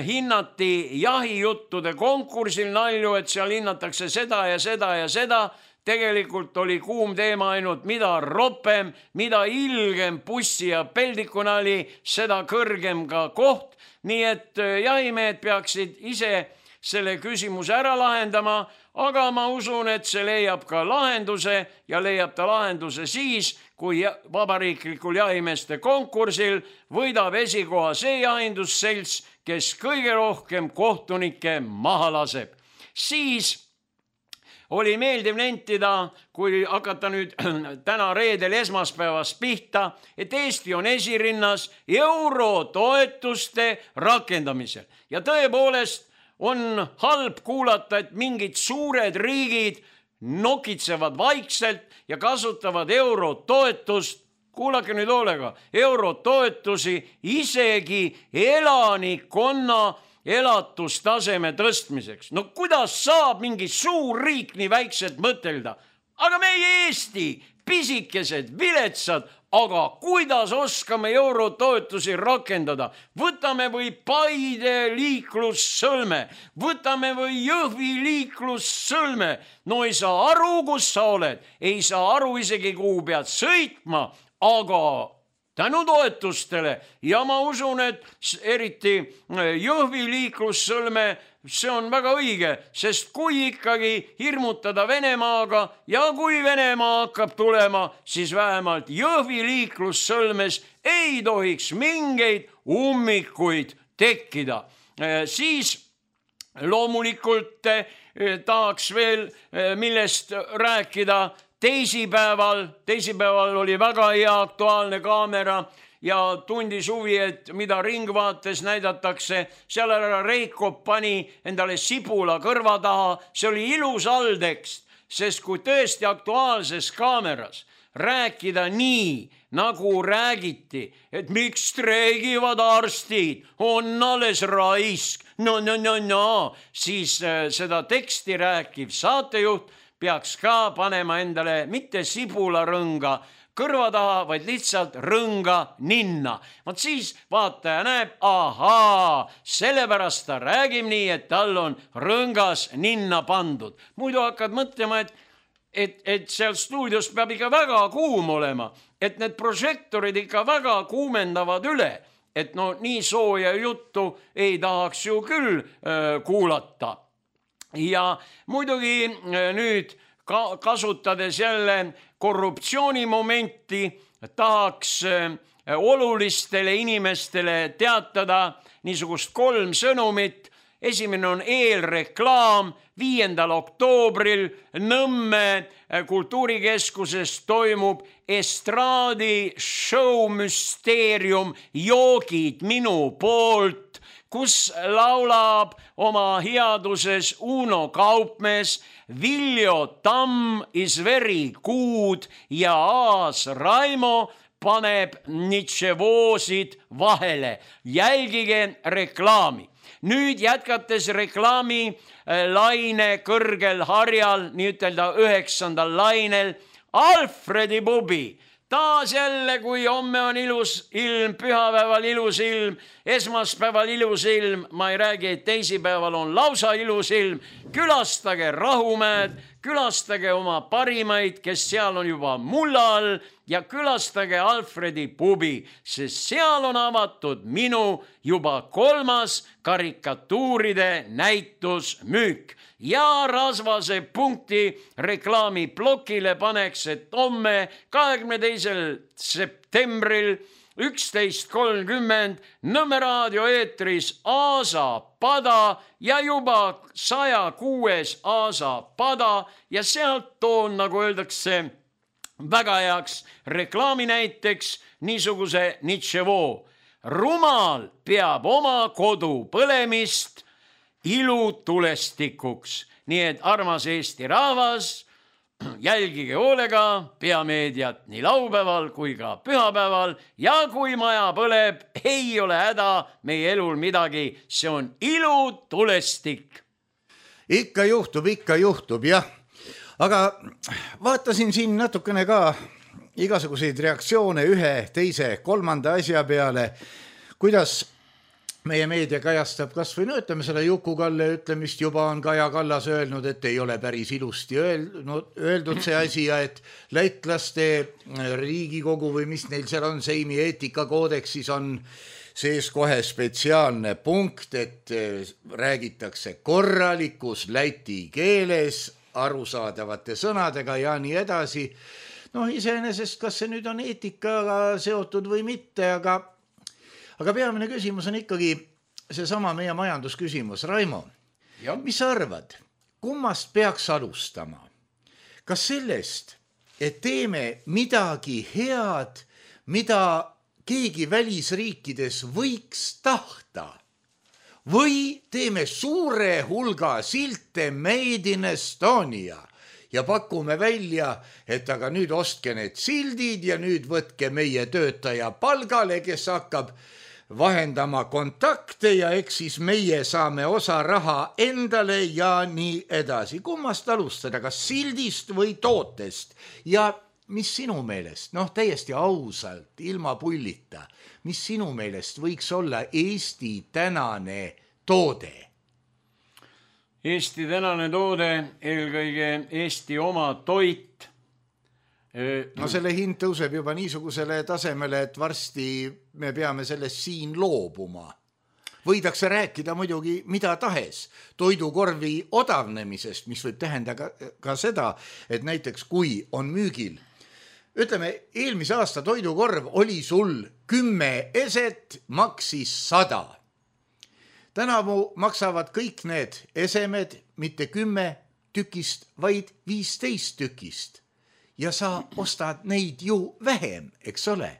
hinnati jahijuttude konkursil nalju, et seal hinnatakse seda ja seda ja seda, tegelikult oli kuum teema ainult, mida ropem, mida ilgem bussi ja peldikuna oli, seda kõrgem ka koht. Nii et jahimehed peaksid ise selle küsimuse ära lahendama, aga ma usun, et see leiab ka lahenduse ja leiab ta lahenduse siis, kui vabariiklikul jahimeeste konkursil võidab esikoha see jahindusselts, kes kõige rohkem kohtunikke maha laseb. Siis oli meeldiv nentida, kui hakata nüüd täna reedel esmaspäevast pihta, et Eesti on esirinnas eurotoetuste rakendamisel. Ja tõepoolest on halb kuulata, et mingid suured riigid nokitsevad vaikselt ja kasutavad eurotoetust, kuulake nüüd hoolega, eurotoetusi isegi elanikkonna elatustaseme tõstmiseks. No kuidas saab mingi suur riik nii väikselt mõtelda? Aga meie Eesti, pisikesed, viletsad, aga kuidas oskame eurotoetusi rakendada? Võtame või Paide liiklussõlme, võtame või Jõhvi liiklussõlme. No ei saa aru, kus sa oled, ei saa aru isegi, kuhu pead sõitma, aga tänu toetustele ja ma usun, et eriti Jõhvi liiklussõlme, see on väga õige, sest kui ikkagi hirmutada Venemaaga ja kui Venemaa hakkab tulema, siis vähemalt Jõhvi liiklussõlmes ei tohiks mingeid ummikuid tekkida. Siis loomulikult tahaks veel millest rääkida. Teisipäeval, teisipäeval oli väga hea aktuaalne kaamera ja tundis huvi, et mida Ringvaates näidatakse. Seal ära Reiko pani endale sibula kõrva taha. See oli ilus alltekst, sest kui tõesti aktuaalses kaameras rääkida nii, nagu räägiti, et miks streigivad arstid, on alles raisk, no, no, no, no, siis seda teksti rääkiv saatejuht peaks ka panema endale mitte sibularõnga kõrva taha, vaid lihtsalt rõnga ninna. Vaat siis vaataja näeb, ahaa, sellepärast ta räägib nii, et tal on rõngas ninna pandud. Muidu hakkad mõtlema, et, et, et seal stuudios peab ikka väga kuum olema, et need prožektorid ikka väga kuumendavad üle, et no nii sooja juttu ei tahaks ju küll äh, kuulata. Ja muidugi nüüd kasutades jälle korruptsioonimomenti tahaks olulistele inimestele teatada niisugust kolm sõnumit. Esimene on eelreklaam. Viiendal oktoobril Nõmme kultuurikeskuses toimub estraadi show müsteerium Joogid minu poolt, kus laulab oma headuses Uno Kaupmees, Viljo Tamm is very good ja Aas Raimo paneb nitševoosid vahele. Jälgige reklaami. Nüüd jätkates reklaami laine kõrgel harjal, nii ütelda üheksandal lainel, Alfredi pubi. Taas jälle, kui homme on ilus ilm, pühapäeval ilus ilm, esmaspäeval ilus ilm, ma ei räägi, et teisipäeval on lausa ilus ilm. Külastage Rahumäed, külastage oma parimaid, kes seal on juba mulla all ja külastage Alfredi pubi, sest seal on avatud minu juba kolmas karikatuuride näitusmüük. Ja rasvase punkti reklaamiplokile paneks, et homme kahekümne teisel septembril üksteist kolmkümmend Nõmme raadio eetris Aasa pada ja juba saja kuues Aasa pada ja sealt toon, nagu öeldakse, väga heaks reklaami näiteks niisuguse nitševoo. Rumal peab oma kodu põlemist ilutulestikuks. Nii et armas Eesti rahvas, jälgige hoolega Peameediat nii laupäeval kui ka pühapäeval ja kui maja põleb, ei ole häda meie elul midagi, see on ilutulestik. Ikka juhtub, ikka juhtub, jah. Aga vaatasin siin natukene ka igasuguseid reaktsioone ühe, teise, kolmanda asja peale, kuidas meie meedia kajastab kas või no ütleme selle Juku-Kalle ütlemist, juba on Kaja Kallas öelnud, et ei ole päris ilusti öeldud, öeldud see asi ja et lätlaste Riigikogu või mis neil seal on, Seimi eetikakoodeksis on sees kohe spetsiaalne punkt, et räägitakse korralikus läti keeles, arusaadavate sõnadega ja nii edasi. Noh, iseenesest, kas see nüüd on eetikaga seotud või mitte, aga, aga peamine küsimus on ikkagi seesama meie majandusküsimus. Raimo, ja. Mis sa arvad, kummast peaks alustama? Kas sellest, et teeme midagi head, mida keegi välisriikides võiks tahta, või teeme suure hulga silte Made in Estonia ja pakume välja, et aga nüüd ostke need sildid ja nüüd võtke meie töötaja palgale, kes hakkab vahendama kontakte ja eks siis meie saame osa raha endale ja nii edasi. Kummast alustada, kas sildist või tootest? Ja mis sinu meelest, noh täiesti ausalt, ilma pullita, mis sinu meelest võiks olla Eesti tänane toode? Eesti tänane toode, eelkõige Eesti oma toit. No selle hind tõuseb juba niisugusele tasemele, et varsti me peame sellest siin loobuma. Võidakse rääkida muidugi mida tahes toidukorvi odavnemisest, mis võib tähendada ka, ka seda, et näiteks kui on müügil, ütleme, eelmise aasta toidukorv oli sul kümme eset, maksis sada. Tänavu maksavad kõik need esemed mitte kümme tükist, vaid viisteist tükist. Ja sa ostad neid ju vähem, eks ole?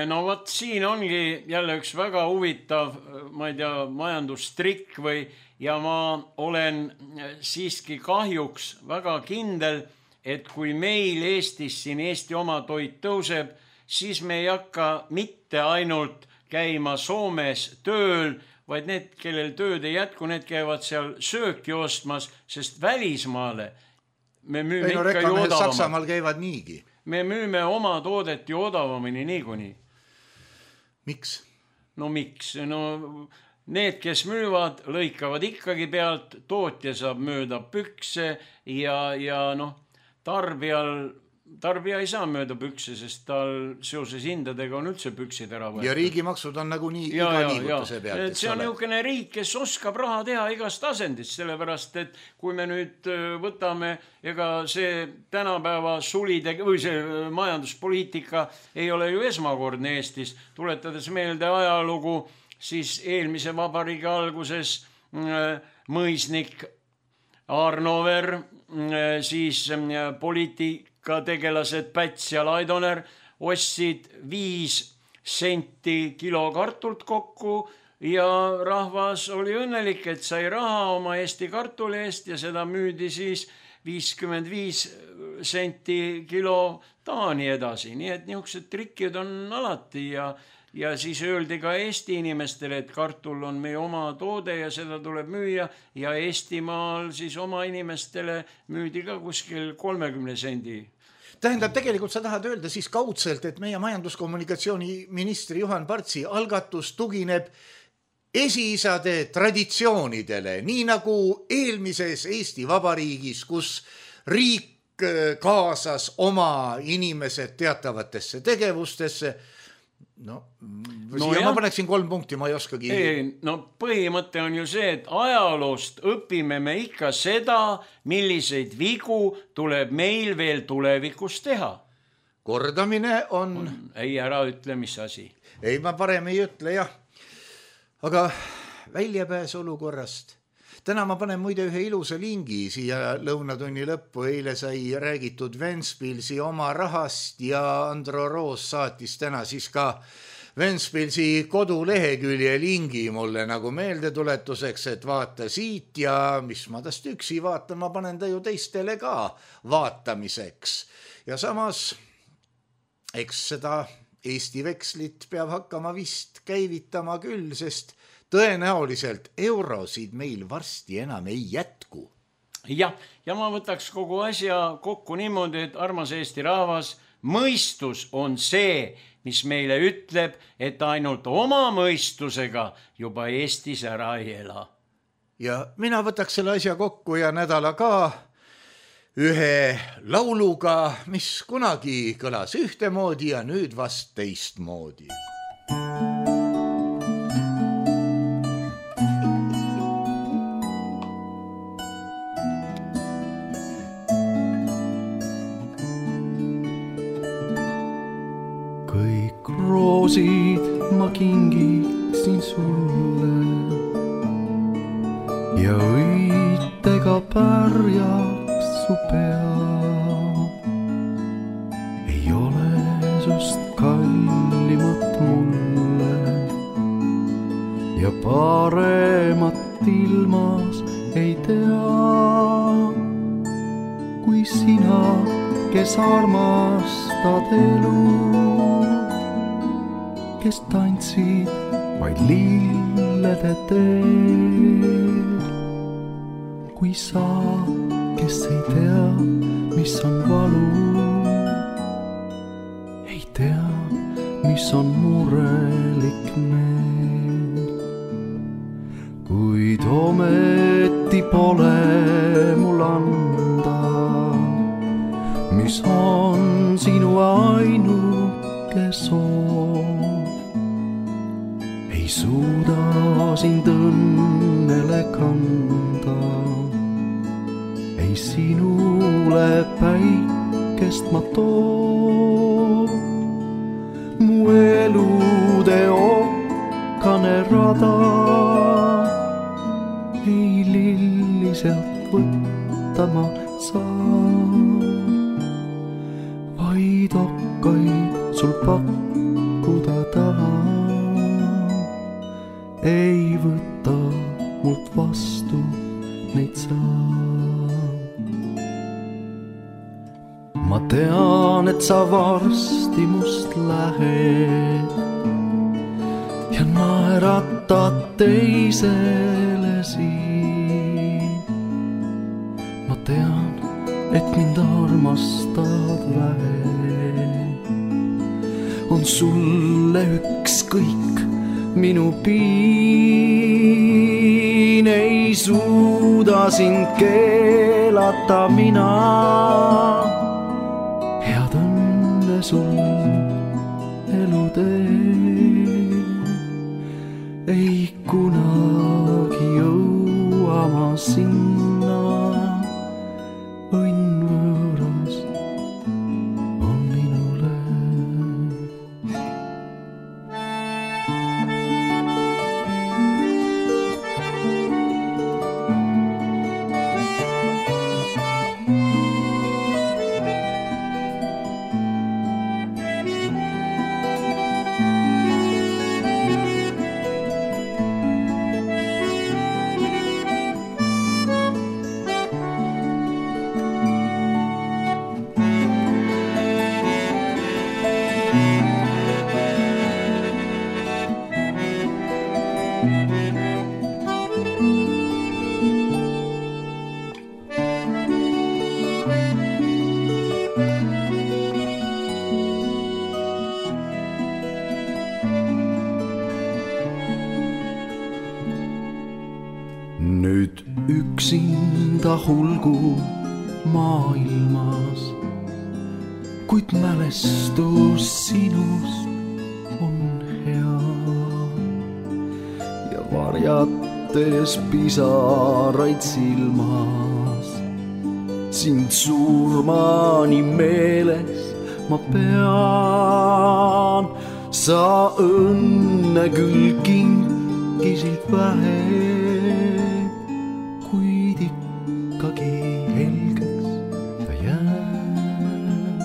No võt, siin ongi jälle üks väga huvitav, ma ei tea, majandustrikk või, ja ma olen siiski kahjuks väga kindel, et kui meil Eestis siin Eesti oma toit tõuseb, siis me ei hakka mitte ainult käima Soomes tööl, vaid need, kellel tööd ei jätku, need käivad seal sööki ostmas, sest välismaale me müüme ei, no, ikka ju odavamalt. Saksamaal käivad niigi. Me müüme oma toodet ju odavamini niikuinii. Miks? No miks? No need, kes müüvad, lõikavad ikkagi pealt, tootja saab mööda pükse ja, ja noh, tarbijal, tarbija ei saa mööda pükse, sest tal seoses hindadega on üldse püksid ära võetud. Ja riigimaksud on nagu nii ja, iga liigutuse pealt. See on niisugune riik, kes oskab raha teha igast asendist, sellepärast, et kui me nüüd võtame, ega see tänapäeva sulide või see majanduspoliitika ei ole ju esmakordne Eestis, tuletades meelde ajalugu, siis eelmise vabariigi alguses mõisnik Arnover, siis poliitikategelased Päts ja Laidoner ostsid viis senti kilo kartult kokku ja rahvas oli õnnelik, et sai raha oma Eesti kartuli eest ja seda müüdi siis viiskümmend viis senti kilo Taani edasi. Nii et niisugused trikid on alati ja Ja siis öeldi ka Eesti inimestele, et kartul on meie oma toode ja seda tuleb müüa ja Eestimaal siis oma inimestele müüdi ka kuskil kolmekümne sendi. Tähendab, tegelikult sa tahad öelda siis kaudselt, et meie majanduskommunikatsiooni ministri Juhan Partsi algatus tugineb esiisade traditsioonidele, nii nagu eelmises Eesti Vabariigis, kus riik kaasas oma inimesed teatavatesse tegevustesse. No, no ja, ma paneksin kolm punkti, ma ei oskagi. Ei, no põhimõte on ju see, et ajaloost õpime me ikka seda, milliseid vigu tuleb meil veel tulevikus teha. Kordamine on... on... Ei, ära ütle, mis asi. Ei, ma parem ei ütle, jah. Aga väljapääs olukorrast. Täna ma panen muide ühe ilusa lingi siia lõunatunni lõppu. Eile sai räägitud Ventspilsi oma rahast ja Andro Roos saatis täna siis ka Ventspilsi kodulehekülje lingi mulle nagu meeldetuletuseks, et vaata siit ja mis ma tast üksi vaatan, ma panen ta ju teistele ka vaatamiseks. Ja samas, eks seda Eesti vekslit peab hakkama vist käivitama küll, sest tõenäoliselt eurosid meil varsti enam ei jätku. Ja, ja ma võtaks kogu asja kokku niimoodi, et armas Eesti rahvas, mõistus on see, mis meile ütleb, et ainult oma mõistusega juba Eestis ära ei ela. Ja mina võtaks selle asja kokku ja nädala ka ühe lauluga, mis kunagi kõlas ühtemoodi ja nüüd vast teistmoodi. kõik roosid ma kingiksin sulle ja õitega pärjaks su pea. Ei ole sust kallimat mulle ja paremat ilmas ei tea kui sina, kes armastad elu, kes tantsid vaid lillede teel. Kui sa, kes ei tea, mis on valu, ei tea, mis on murelik meel. Kuid ometi pole mul anda, mis on sinu ainuke soov. Ei suuda sind õnnele kanda, ei sinule päikest ma too. Mu elude okkane rada ei lilli sealt võtta ma saa, vaid okkaid sul pakkuda tahan. Ei võta mult vastu neid saa. Ma tean, et sa varsti must lähed ja naeratad teisele siin. Ma tean, et mind armastad vähe, on sulle ükskõik minu piin. Ei suuda sind keelata mina, head õnne sul elutee. Ei kunagi jõua ma sinna, õnn võõras on minule. Nüüd üksinda hulgu maailmas, kuid mälestus sinust on hea ja varjates pisaraid silmas, sind surmani meeles ma pean. Sa õnne küll kinkisid vähe, kuid ikkagi helgeks ta jääb.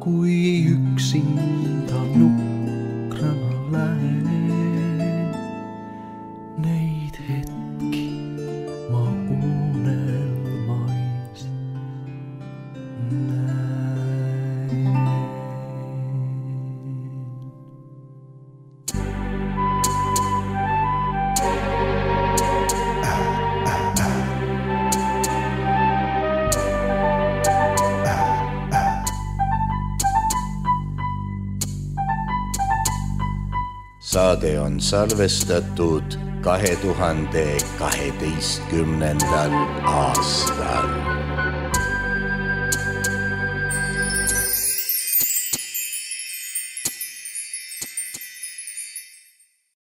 Kui üksinda nukrana lähen, neid hetki ma unelmais näen. Saade on salvestatud kahe tuhande kaheteistkümnendal aastal.